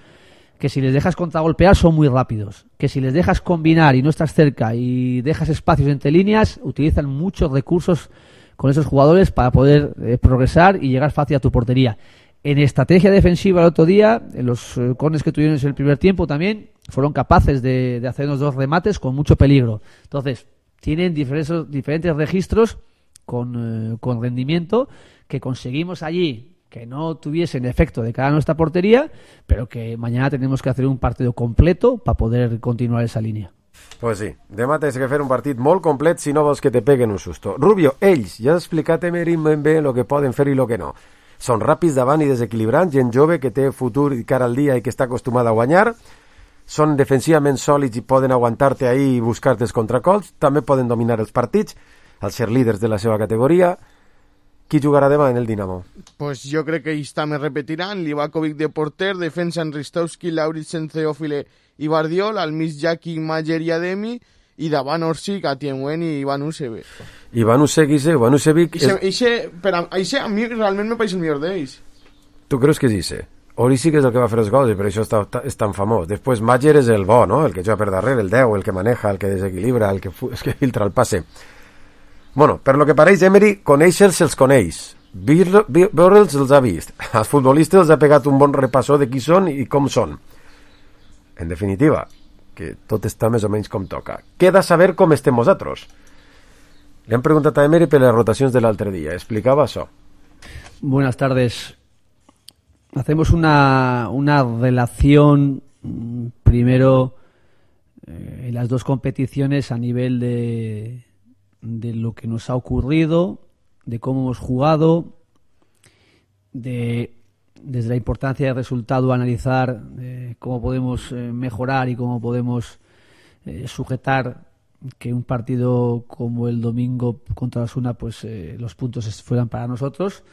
que si les dejas contragolpear son muy rápidos, que si les dejas combinar y no estás cerca y dejas espacios entre líneas, utilizan muchos recursos con esos jugadores para poder eh, progresar y llegar fácil a tu portería. En estrategia defensiva el otro día, en los eh, corners que tuvieron en el primer tiempo también, fueron capaces de, de hacer unos dos remates con mucho peligro. Entonces, tienen diferentes, diferentes registros con, eh, con rendimiento que conseguimos allí que no tuviesen efecto de cara a nuestra portería, pero que mañana tenemos que hacer un partido completo para poder continuar esa línea. Pues sí, demà tens que fer un partit molt complet si no vols que te peguen un susto. Rubio, ells, ja has explicat Emery ben bé el que poden fer i el que no. Són ràpids davant i desequilibrants, gent jove que té futur i cara al dia i que està acostumada a guanyar, són defensivament sòlids i poden aguantar-te ahí i buscar-te els contracols, també poden dominar els partits, al ser líders de la seva categoria. Qui jugarà demà en el Dinamo? Pues jo crec que ells també repetiran, Livakovic de porter, defensa en Ristowski, Lauritsen, Teófile i Bardiol, al mig Jaki, Majer i Ademi, i davant Orsic, Atienwen i Ivanuševic. Ivanuševic, Ivanuševic... Ixe, ixe, per a, ixe a mi realment me pareix el millor d'ells. Tu creus que és ixe? Orisic és el que va fer els gols i per això està, és tan famós. Després Majer és el bo, no? El que juga per darrere, el deu, el que maneja, el que desequilibra, el que, el que filtra el passe. Bueno, per lo que pareix, Emery, conèixer-se els coneix. Veure'ls els ha vist. Als futbolistes els ha pegat un bon repassó de qui són i com són. En definitiva, que tot està més o menys com toca. Queda saber com estem nosaltres. Le han preguntat a Emery per les rotacions de l'altre dia. Explicava això. Buenas tardes. Hacemos una, una relación primero eh, en las dos competiciones a nivel de, de lo que nos ha ocurrido, de cómo hemos jugado, de desde la importancia del resultado analizar eh, cómo podemos eh, mejorar y cómo podemos eh, sujetar que un partido como el domingo contra Osasuna, pues eh, los puntos fueran para nosotros,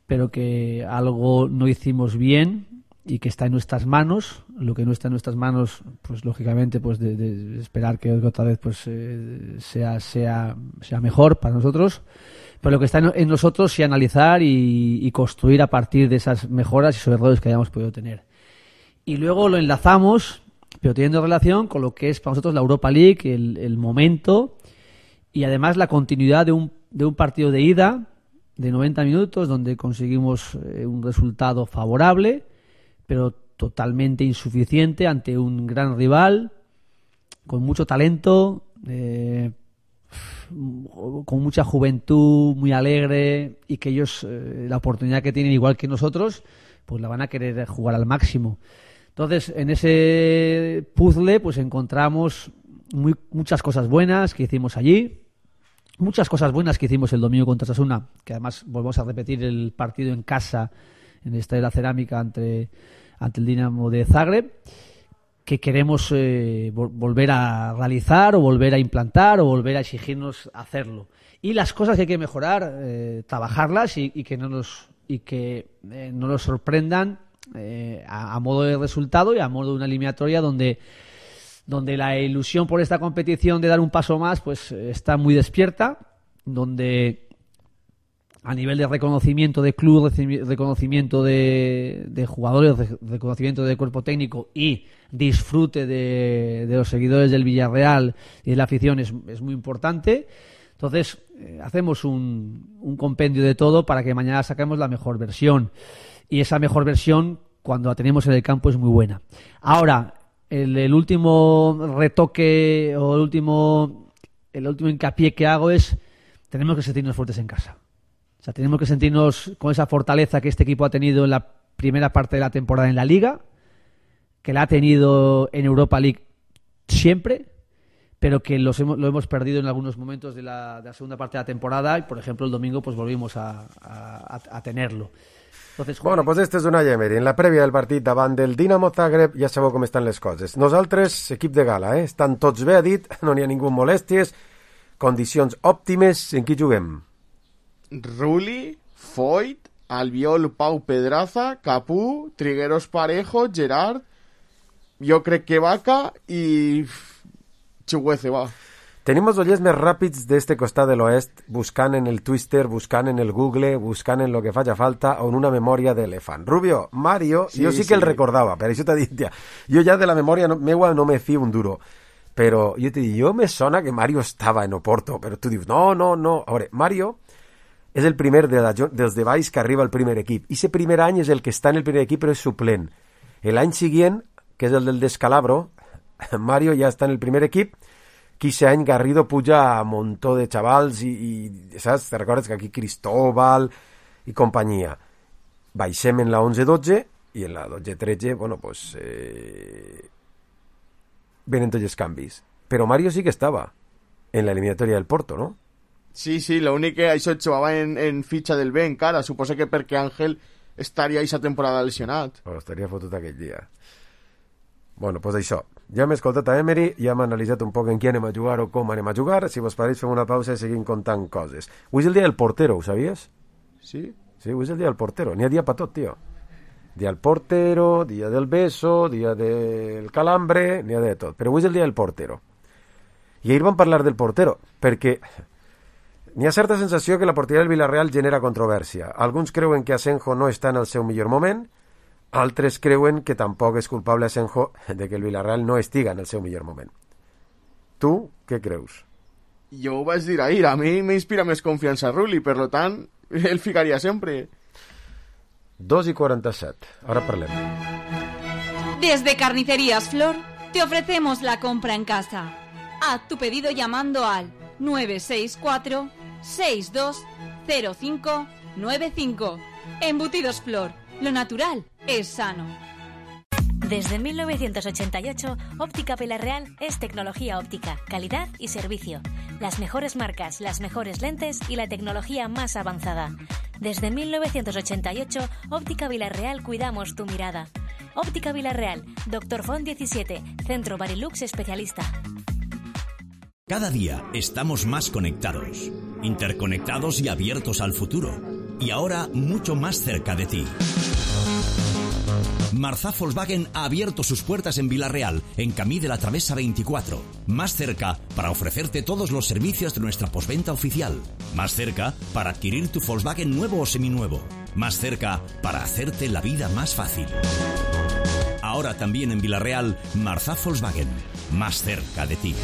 pero que algo no hicimos bien y que está en nuestras manos. Lo que no está en nuestras manos, pues lógicamente, pues de, de esperar que otra vez pues eh, sea sea sea mejor para nosotros. Pero lo que está en, en nosotros sí analizar y, y construir a partir de esas mejoras y esos errores que hayamos podido tener. Y luego lo enlazamos, pero teniendo relación con lo que es para nosotros la Europa League, el, el momento y además la continuidad de un, de un partido de ida de noventa minutos donde conseguimos eh, un resultado favorable, pero totalmente insuficiente ante un gran rival con mucho talento, eh, con mucha juventud, muy alegre, y que ellos eh, la oportunidad que tienen igual que nosotros pues la van a querer jugar al máximo. Entonces en ese puzzle pues encontramos muy, muchas cosas buenas que hicimos allí, muchas cosas buenas que hicimos el domingo contra Osasuna, que además volvemos a repetir el partido en casa en el Estadio de la Cerámica ante, ante el Dinamo de Zagreb, que queremos eh, volver a realizar o volver a implantar o volver a exigirnos hacerlo. Y las cosas que hay que mejorar, eh, trabajarlas y, y que no nos y que eh, no nos sorprendan eh, a, a modo de resultado y a modo de una eliminatoria donde donde la ilusión por esta competición de dar un paso más pues está muy despierta, donde a nivel de reconocimiento de club, reconocimiento de, de jugadores, reconocimiento de cuerpo técnico y disfrute de, de los seguidores del Villarreal y de la afición es, es muy importante. Entonces eh, hacemos un, un compendio de todo para que mañana saquemos la mejor versión, y esa mejor versión cuando la tenemos en el campo es muy buena. Ahora, el, el último retoque o el último, el último hincapié que hago es: tenemos que sentirnos fuertes en casa. O sea, tenemos que sentirnos con esa fortaleza que este equipo ha tenido en la primera parte de la temporada en la Liga, que la ha tenido en Europa League siempre, pero que los hemos, lo hemos perdido en algunos momentos de la, de la segunda parte de la temporada, y por ejemplo el domingo pues volvimos a, a, a tenerlo. Entonces, bueno, pues este és Unai Emery. En la prèvia del partit davant del Dinamo Zagreb ja sabeu com estan les coses. Nosaltres, equip de gala, eh? Estan tots bé, ha dit, no n'hi ha ningú amb molèsties, condicions òptimes. En qui juguem? Rulli, Foyt, Albiol, Pau, Pedraza, Capú, Trigueros, Parejo, Gerard, jo crec que Vaca i Chuguece, va. Tenim els oients més ràpids d'este costat de l'oest, buscant en el Twitter, buscant en el Google, buscant en lo que faci falta, o en una memòria d'elefant. Rubio, Mario, sí, jo sí que sí. El recordava, per això t'ha dit, ja, jo ja de la memòria no, meua no me fio un duro, però jo t'he dit, jo me sona que Mario estava en Oporto, però tu dius, no, no, no. A veure, Mario és el primer de la, dels de baix que arriba al primer equip. I ese primer any és el que està en el primer equip, però és suplent. L'any següent, que és el del Descalabro, Mario ja està en el primer equip. Quinze any Garrido puja a un muntó de xavals i, i saps? Te recordes que aquí Cristóbal i companyia. Baixem en la onze dotze i en la dotze tretze, bueno, pues eh, venen tots els canvis. Però Mario sí que estava en la eliminatòria del Porto, no? Sí, sí, l'únic que això jugava en, en fitxa del B encara. Suposo que perquè Àngel estaria aquesta temporada lesionat. Però estaria fotut aquell dia. Bueno, pues això. Ja hem escoltat a Emery, ja hem analitzat un poc en qui anem a jugar o com anem a jugar. Si vos pareix, fem una pausa i seguim contant coses. Avui és el dia del portero, ho sabies? Sí? Sí, avui és el dia del portero. N'hi ha dia per tot, tio. Dia del portero, dia del beso, dia del calambre, n'hi ha de tot. Però avui és el dia del portero. I ahir vam parlar del portero, perquè n'hi ha certa sensació que la porteria del Villarreal genera controvèrsia. Alguns creuen que Asenjo no està en el seu millor moment, altres creuen que tampoc és culpable Asenjo de que el Villarreal no estiga en el seu millor moment. Tu, què creus? Jo ho vaig dir ahir, a mi m'inspira més confiança Rulli, per lo tant, el ficaria sempre. dos i quaranta-set, ara parlem. Desde Carnicerías Flor te ofrecemos la compra en casa. Haz tu pedido llamando al nueve seis cuatro, seis dos cero cinco nueve cinco. Embutidos Flor, lo natural es sano. Desde mil novecientos ochenta y ocho, Óptica Villarreal es tecnología óptica, calidad y servicio. Las mejores marcas, las mejores lentes y la tecnología más avanzada. Desde mil novecientos ochenta y ocho, Óptica Villarreal cuidamos tu mirada. Óptica Villarreal, Doctor Font diecisiete, Centro Barilux Especialista. Cada día estamos más conectados, interconectados y abiertos al futuro. Y ahora mucho más cerca de ti. Marzá Volkswagen ha abierto sus puertas en Vila-real, en Camí de la Travesa veinticuatro. Más cerca para ofrecerte todos los servicios de nuestra postventa oficial. Más cerca para adquirir tu Volkswagen nuevo o seminuevo. Más cerca para hacerte la vida más fácil. Ahora también en Vila-real, Marzá Volkswagen. Más cerca de ti.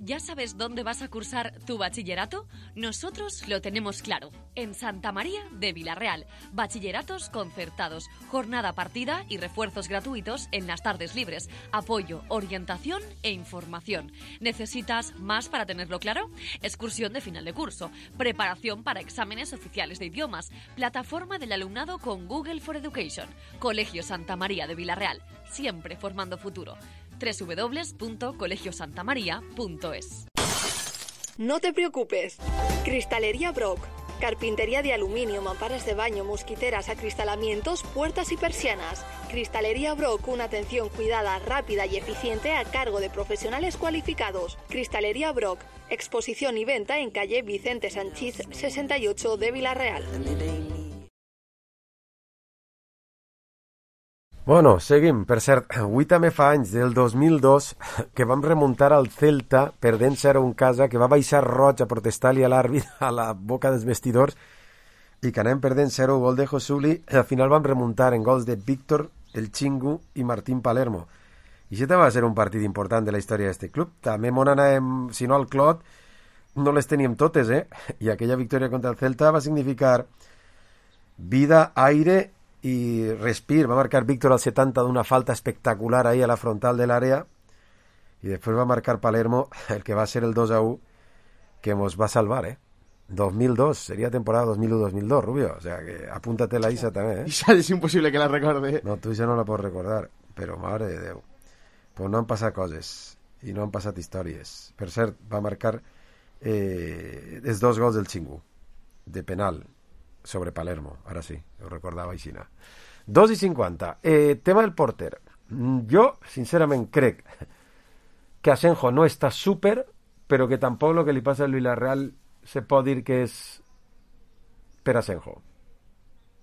¿Ya sabes dónde vas a cursar tu bachillerato? Nosotros lo tenemos claro. En Santa María de Vila-real. Bachilleratos concertados, jornada partida y refuerzos gratuitos en las tardes libres. Apoyo, orientación e información. ¿Necesitas más para tenerlo claro? Excursión de final de curso. Preparación para exámenes oficiales de idiomas. Plataforma del alumnado con Google for Education. Colegio Santa María de Vila-real. Siempre formando futuro. doble u doble u doble u punto colegio santa maría punto es. No te preocupes. Cristalería Brock. Carpintería de aluminio, mamparas de baño, mosquiteras, acristalamientos, puertas y persianas. Cristalería Brock, una atención cuidada, rápida y eficiente a cargo de profesionales cualificados. Cristalería Brock. Exposición y venta en calle Vicente Sanchís sesenta y ocho de Vila-real. Bueno, seguim. Per cert, avui també fa anys, del dos mil dos, que vam remuntar al Celta perdent zero a un casa, que va baixar roig a protestar-li a l'àrbit a la boca dels vestidors i que anem perdent zero, gol de Josuli. Al final vam remuntar en gols de Víctor, el Chingu i Martín Palermo. I això també va ser un partit important de la història d'aquest club. També mon anàvem, si no al Clot, no les teníem totes, eh? I aquella victòria contra el Celta va significar vida, aire i respir. Va marcar Víctor al setanta d'una falta espectacular ahí a la frontal de l'àrea i després va marcar Palermo el que va ser el dos a u que mos va salvar, eh? dos mil dos, sería temporada dos mil u dos mil dos, Rubio, o sea que apúntate la Isa també, eh? Isa és impossible que la recorde. No, tu Isa no la pots recordar, però mare de Déu, pues no han passat coses i no han passat històries. Per cert, va marcar eh, els dos gols del Chingu de penal sobre Palermo, ara sí, ho recordava aixina. dos i cinquanta. Eh, tema del porter. Jo, sincerament, crec que Asenjo no està súper, però que tampoc el que li passa al Villarreal se pot dir que és per Asenjo.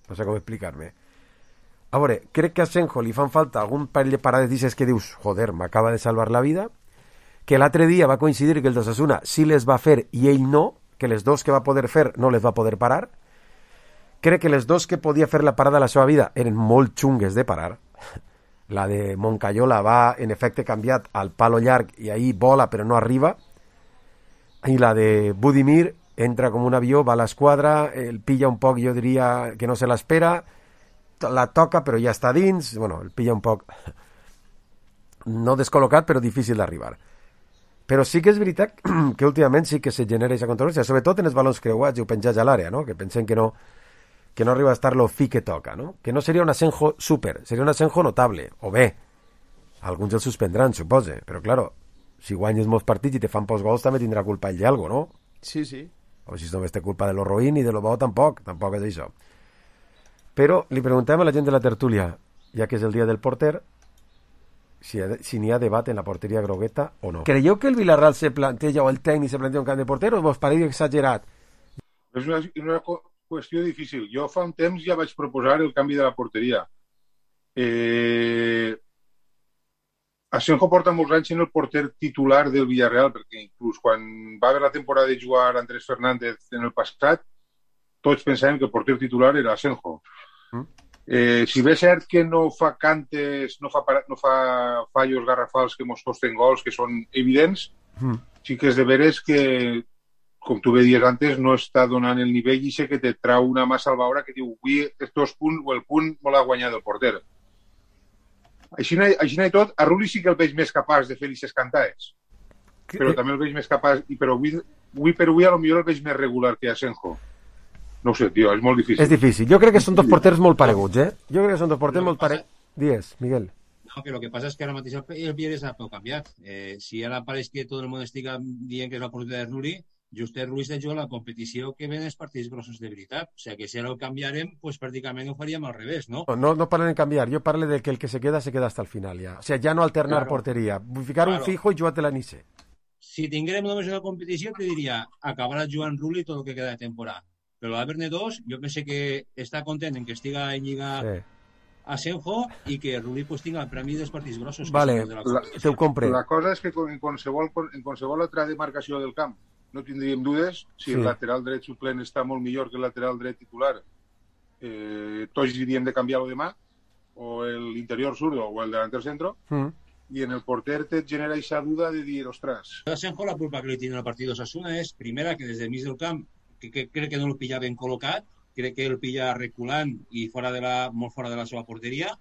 No sé com explicar-me. A veure, crec que a Asenjo li fan falta algun parell de parades dices que dius, joder, m'acaba de salvar la vida, que l'altre dia va coincidir que el d'Osasuna sí les va fer i ell no, que les dos que va poder fer no les va poder parar. Crec que les dos que podia fer la parada a la seva vida eren molt xungues de parar. La de Moncayola va, en efecte, canviat al palo llarg i ahí vola però no arriba. I la de Budimir entra com un avió, va a l'esquadra, el pilla un poc, jo diria que no se l'espera, la toca però ja està dins, bueno, el pilla un poc no descol·locat però difícil d'arribar. Però sí que és veritat que últimament sí que se genera aquesta controvèrsia, sobretot en els balons creuats i ho penjats a l'àrea, no? Que pensem que no que no arriba a estar lo fi que toca, no? Que no seria un Asenjo súper, seria un Asenjo notable, o bé, alguns el suspendran, supose, però claro, si guanyes molts partits i te fan pocs gols també tindrà culpa ell d'algo, no? Sí, sí. O si només té culpa de lo roïn i de lo bo tampoc, tampoc és això. Però li preguntem a la gent de la tertúlia, ja que és el dia del porter, si, si n'hi ha debat en la porteria grogueta o no. Creieu que el Villarreal se planteja, o el tècnic se planteja un camp de porter, o vos pareix exagerat? És una, una qüestió difícil. Jo fa un temps ja vaig proposar el canvi de la porteria. Eh... Asenjo porta molts anys en el porter titular del Villarreal, perquè inclús quan va haver la temporada de jugar Andrés Fernández en el passat, tots pensàvem que el porter titular era Asenjo. Mm. Eh, si bé és cert que no fa cantes, no fa, no fa fallos garrafals que mos costen gols, que són evidents, mm. sí que és de veres que, com tu bé dies antes, no està donant el nivell i sé que te trau una mà salvadora que diu avui els dos punts o el punt me l'ha guanyat el porter. Així, així i tot, a Rulli sí que el veig més capaç de fer aquestes cantades. Però també el veig més capaç, i però avui, avui per avui a lo millor el veig més regular que Asenjo. No ho sé, tio, és molt difícil. És difícil. Jo crec que són dos porters molt pareguts, eh? Jo crec que són dos porters molt pareguts. Dies, Miguel. No, que lo que pasa es que ara mateix el Pierre s'ha canviat. Eh, si ara pareix que tot el món estigui dient que és l'oportunitat de Rulli, just el Rulli està jugant la competició que ven els partits grossos de veritat. O sigui, que si ara ho canviarem, pues pràcticament ho faríem al revés, no? No, no parlen de canviar. Jo parlo de que el que se queda, se queda hasta el final, ja. O sea, ja no alternar claro. porteria. Ficar claro. un fijo y jugar-te la Nice. si tinguérem només una competició, te diria, acabarà jugant Rulli tot el que queda de temporada. Però l'Haver-ne dos, jo penso que està content en que estiga en Lliga sí. Asenjo i que Rulli pues, tinga el premi dels partits grossos. Vale, que la, te ho compre. La cosa és que en qualsevol, en qualsevol altra demarcació del camp no tindríem dudes si sí. el lateral dret suplent està molt millor que el lateral dret titular. Eh, tots diríem de canviar-lo demà, o l'interior zurdo o el delanter centro, mm. i en el porter te genera aquesta duda de dir, ostres... Asenjo la culpa que li tiene el partit d'Osasuna és, primera, que des del mig del camp, que, que crec que no el pilla ben col·locat, crec que el pilla reculant i fora de la, molt fora de la seva porteria,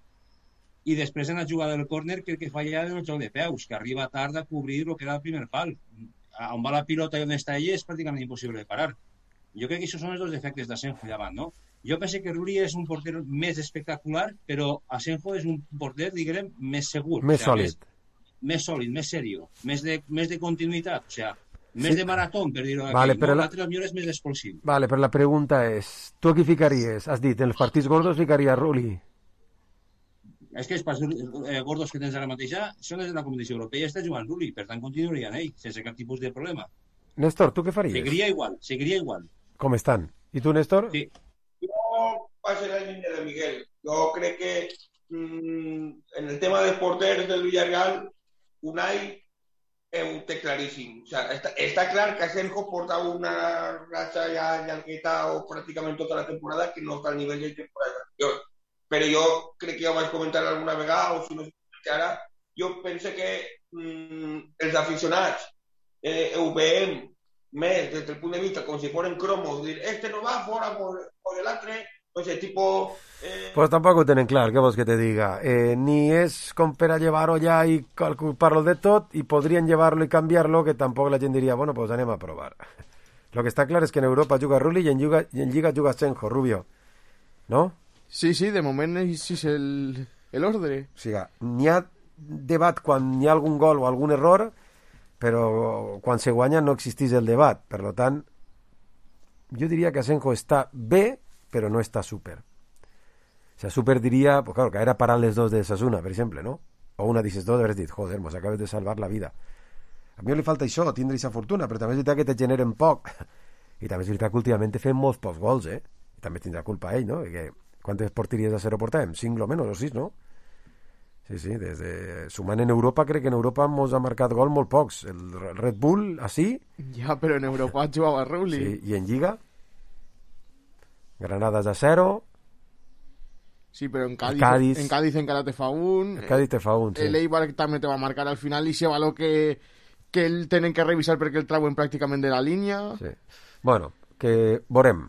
i després en la jugada del córner crec que falla en el joc de peus, que arriba tard a cobrir el que era el primer pal. On va la pilota i on està ell és pràcticament impossible de parar. Jo crec que aquests són els dos defectes d'Asenjo davant, no? Jo penso que Rulli és un porter més espectacular, però Asenjo és un porter, diguem, més segur. Més o sea, sòlid. Més, més sòlid, més serio, més de, més de continuïtat, o sea, més sí. de marató, per dir-ho aquí. Vale, no? La... L'altre millor és més expulsiu. Vale, però la pregunta és, tu qui ficaries? Has dit, en els partits gordos ficaria Rulli? És que els partits eh, gordos que tens ara mateix són els de la competició europea i està jugant Rulli, per tant continuaria en ell, sense cap tipus de problema. Néstor, tu què faries? Seguiria igual, seguiria igual. Com estan? I tu, Néstor? Sí. Jo passo la línia de Miguel. Jo crec que mmm, en el tema dels porters del Villarreal, Unai ho té claríssim. O sea, està, està clar que Asenjo porta una ratxa ja llargueta o pràcticament tota la temporada que no està al nivell de temporada anterior. Però jo crec que ja ho vaig comentar alguna vegada, o si no sé ara, jo penso que mmm, els aficionats eh, ho veiem més des del punt de vista com si fueran cromos, dir, este no va fora por, por el altre, o sea, tipo... Eh... Pues tampoco tenen clar, què vols que te diga? Eh, ni és com per a llevar-ho ja i culpar-lo de tot, i podrien llevar-lo i canviar-lo, que tampoc la gent diria, bueno, pues anem a provar. Lo que està clar és que en Europa juga Rulli i en Lliga, i en Lliga juga Asenjo, Rubio. ¿No? Sí, sí, de moment així és el, el ordre. O sigui, n'hi ha debat quan hi ha algun gol o algun error, però quan se guanya no existeix el debat. Per tant, jo diria que Asenjo està bé, però no està súper. O sea, súper diria, pues claro, que era parar les dos de Sasuna, per exemple, ¿no? O una d'aquestes dos, haver dit, joder, mos acabes de salvar la vida. A mi li falta això, tindre aquesta fortuna, però també és veritat que te generen poc. I també és veritat que últimament te fem molts pocs gols, eh? I també tindrà culpa ell, no? Que quantes porteries a zero portàvem? Cinc, lo menos, o sis, no? Sí, sí, des de... sumant en Europa, crec que en Europa mos ha marcat gol molt pocs. El Red Bull, així... Ja, però en Europa jugava Rulli. Sí, i en Lliga? Granadas a zero. Sí, però en Cádiz, Cádiz, en Cádiz encara te fa un. El Cádiz te fa un, sí. El Eibar també te va marcar al final i se valor que, que el tenen que revisar perquè el trauen pràcticament de la línia. Sí. Bueno, que veurem.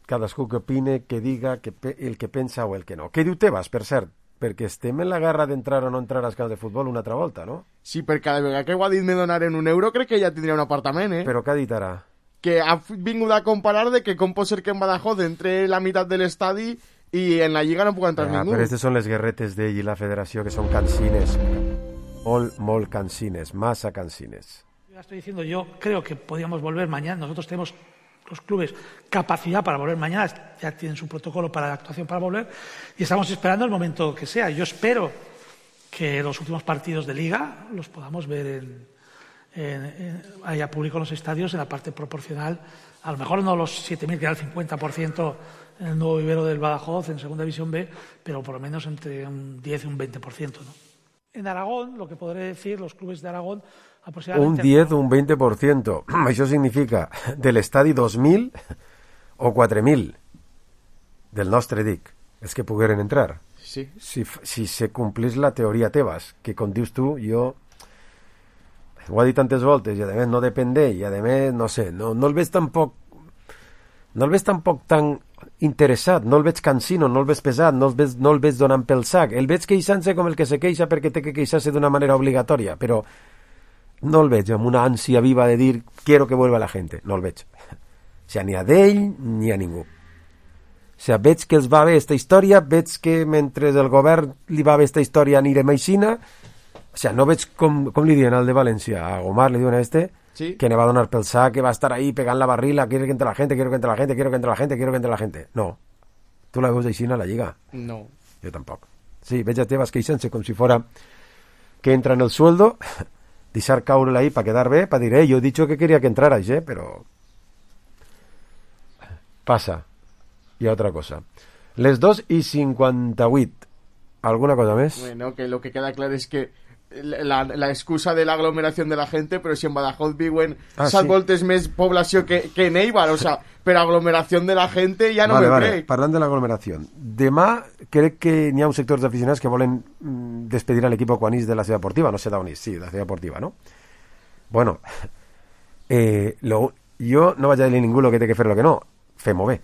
Cadascú que opine, que diga que pe el que pensa o el que no. Què diu Tebas, per cert? Perquè estem en la guerra d'entrar o no entrar als camps de futbol una altra volta, no? Sí, per cada vegada que ho ha dit me donaren un euro crec que ja tindria un apartament, eh? Però què ha dit ara? Que ha vingut a comparar de que com pot ser que en Badajoz entre la meitat de l'estadi i en la Lliga no puc entrar ja, ningú. Però aquestes són les guerretes d'ell i la federació, que són cansines. Molt, molt cansines, massa cansines. Ya estoy diciendo, yo creo que podríamos volver mañana. Nosotros tenemos los clubes capacidad para volver mañana, ya tienen su protocolo para la actuación para volver y estamos esperando el momento que sea. Yo espero que los últimos partidos de Liga los podamos ver en, en, en, haya público en los estadios en la parte proporcional, a lo mejor no los siete mil que era el cincuenta por ciento en el nuevo vivero del Badajoz en Segunda División B, pero por lo menos entre un diez y un veinte por ciento, ¿no? En Aragón, lo que podré decir, los clubes de Aragón un diez o un veinte por ciento. Això significa de l'estadi dos mil o quatre mil del nostre, dic, és que pogueren entrar. Sí. Si, si se complís la teoria Tebas, que com dius tu, jo ho ha dit tantes voltes i a més no depèn d'ell i a més, no sé, no, no el veig tampoc no el veig tampoc tan interessat, no el veig cansino, no el veig pesat, no el veig, no el veig donant pel sac, el veig queixant-se com el que se queixa perquè té que queixar-se d'una manera obligatòria, però no el veig amb una ànsia viva de dir quiero que vuelva la gente, no el veig. O sigui, ni a d'ell ni a ningú. O sigui, veig que els va bé esta història, veig que mentre el govern li va bé esta història anirem aixina, o sigui, no veig com, com li diuen al de València, a Gomar li diuen a este, sí, que ne va donar pel sac, que va estar ahí pegant la barrila, quiero que entre la gente, quiero que entre la gente, quiero que entre la gente, quiero que entre la gente. No. Tu la veus aixina a la Lliga? No. Jo tampoc. Sí, veig a Tebas queixant-se com si fora que entra en el sueldo deixar caure ahí para quedar bé, para dir, eh, yo he dicho que quería que entrarais, eh, pero passa. Hi ha otra cosa. Les dos i cinquanta-vuit. ¿Alguna cosa més? Bueno, que lo que queda claro es que la, la excusa de la aglomeración de la gente, però si en Badajoz viuen ah, set sí. voltes més població que, que en Eibar, o sea, per aglomeración de la gente ja no vale, me vale. crec. Parlant de l'aglomeració, demà crec que n'hi ha uns sectors d'aficionats que volen despedir a l'equip quan és de la ciutat deportiva, no sé d'on és, sí, de la ciutat deportiva, no? Bueno, eh, lo, jo no vaig a dir a ningú el que té que fer lo que no, fem-ho bé.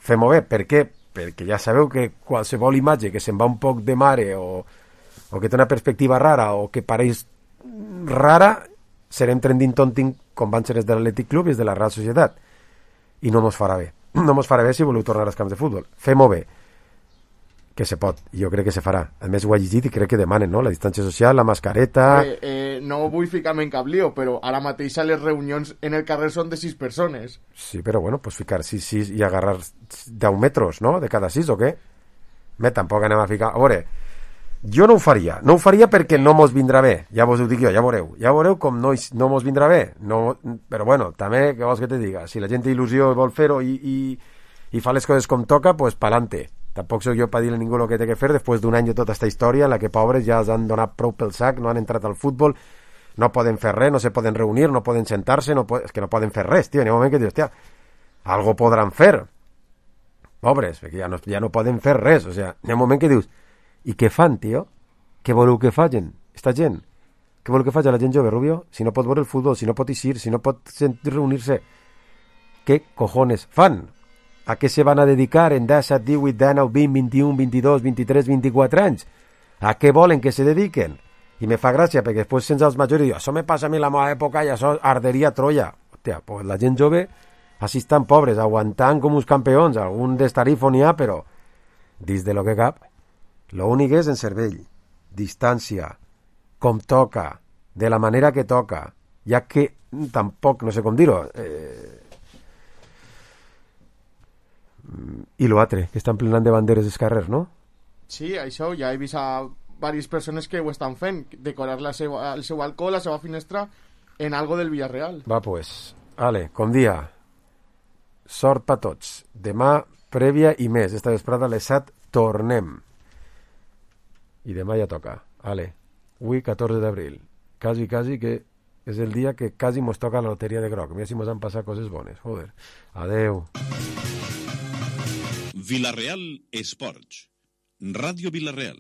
Fem-ho bé, per què? Perquè ja sabeu que qualsevol imatge que se'n va un poc de mare o, o que té una perspectiva rara o que pareix rara, serem trending tonting com van ser els de l'Atlètic Club i els de la Real Societat. I no mos farà bé. No mos farà bé si voleu tornar als camps de futbol. Fem-ho bé. Que se pot. Jo crec que se farà. A més ho ha llegit i crec que demanen, no? La distància social, la mascareta... Eh, eh, no vull ficar-me en cap lío, però ara mateix a les reunions en el carrer són de sis persones. Sí, però bueno, pues ficar sis, sis i agarrar deu metres, no? De cada sis o què? Me, tampoc anem a ficar... A veure, jo no ho faria. No ho faria perquè no mos vindrà bé. Ja vos ho dic jo, ja veureu. Ja veureu com no, no mos vindrà bé. No, però bueno, també, què vols que te diga? Si la gent té il·lusió i vol fer-ho i, i, i fa les coses com toca, pues pa'lante. Tampoc soc jo per dir a ningú el que té que fer després d'un any de tota aquesta història en la que pobres ja els han donat prou pel sac, no han entrat al futbol, no poden fer res, no se poden reunir, no poden sentar-se, no po- és que no poden fer res, tio. N'hi ha un moment que dius, hòstia, algo podran fer. Pobres, perquè ja no, ja no poden fer res, o sigui, n'hi ha un moment que dius, i què fan, tio? Què voleu que facin, esta gent? Què voleu que faci la gent jove, Rubio? Si no pot veure el futbol, si no pot eixir, si no pot reunir-se, què cojones fan? A què se van a dedicar en disset, divuit, dinou, vint, vint-i-u, vint-i-dos, vint-i-tres, vint-i-quatre anys? A què volen que se dediquen? I me fa gràcia, perquè després sense els majors diu, això me passa a mi la meva època i això arderia Troia. Hòstia, pues la gent jove així estan pobres, aguantant com uns campions, algun destarifo n'hi ha, però dins de lo que cap, l'únic és en cervell, distància, com toca, de la manera que toca, ja que tampoc, no sé com dir-ho, eh, i l'altre, que estan plenant de banderes dels carrers, no? Sí, això, ja he vist a diverses persones que ho estan fent, decorar la seva, el seu balcó, la seva finestra, en algo del Villarreal. Va, pues, ale, com dia, sort pa tots. Demà, prèvia i més. Esta vesprada a les set tornem. I demà ja toca. Ale, avui catorze d'abril. Quasi, quasi que és el dia que quasi mos toca la loteria de groc. Mira si mos han passat coses bones. Joder. Adeu. Villarreal Esports. Ràdio Villarreal.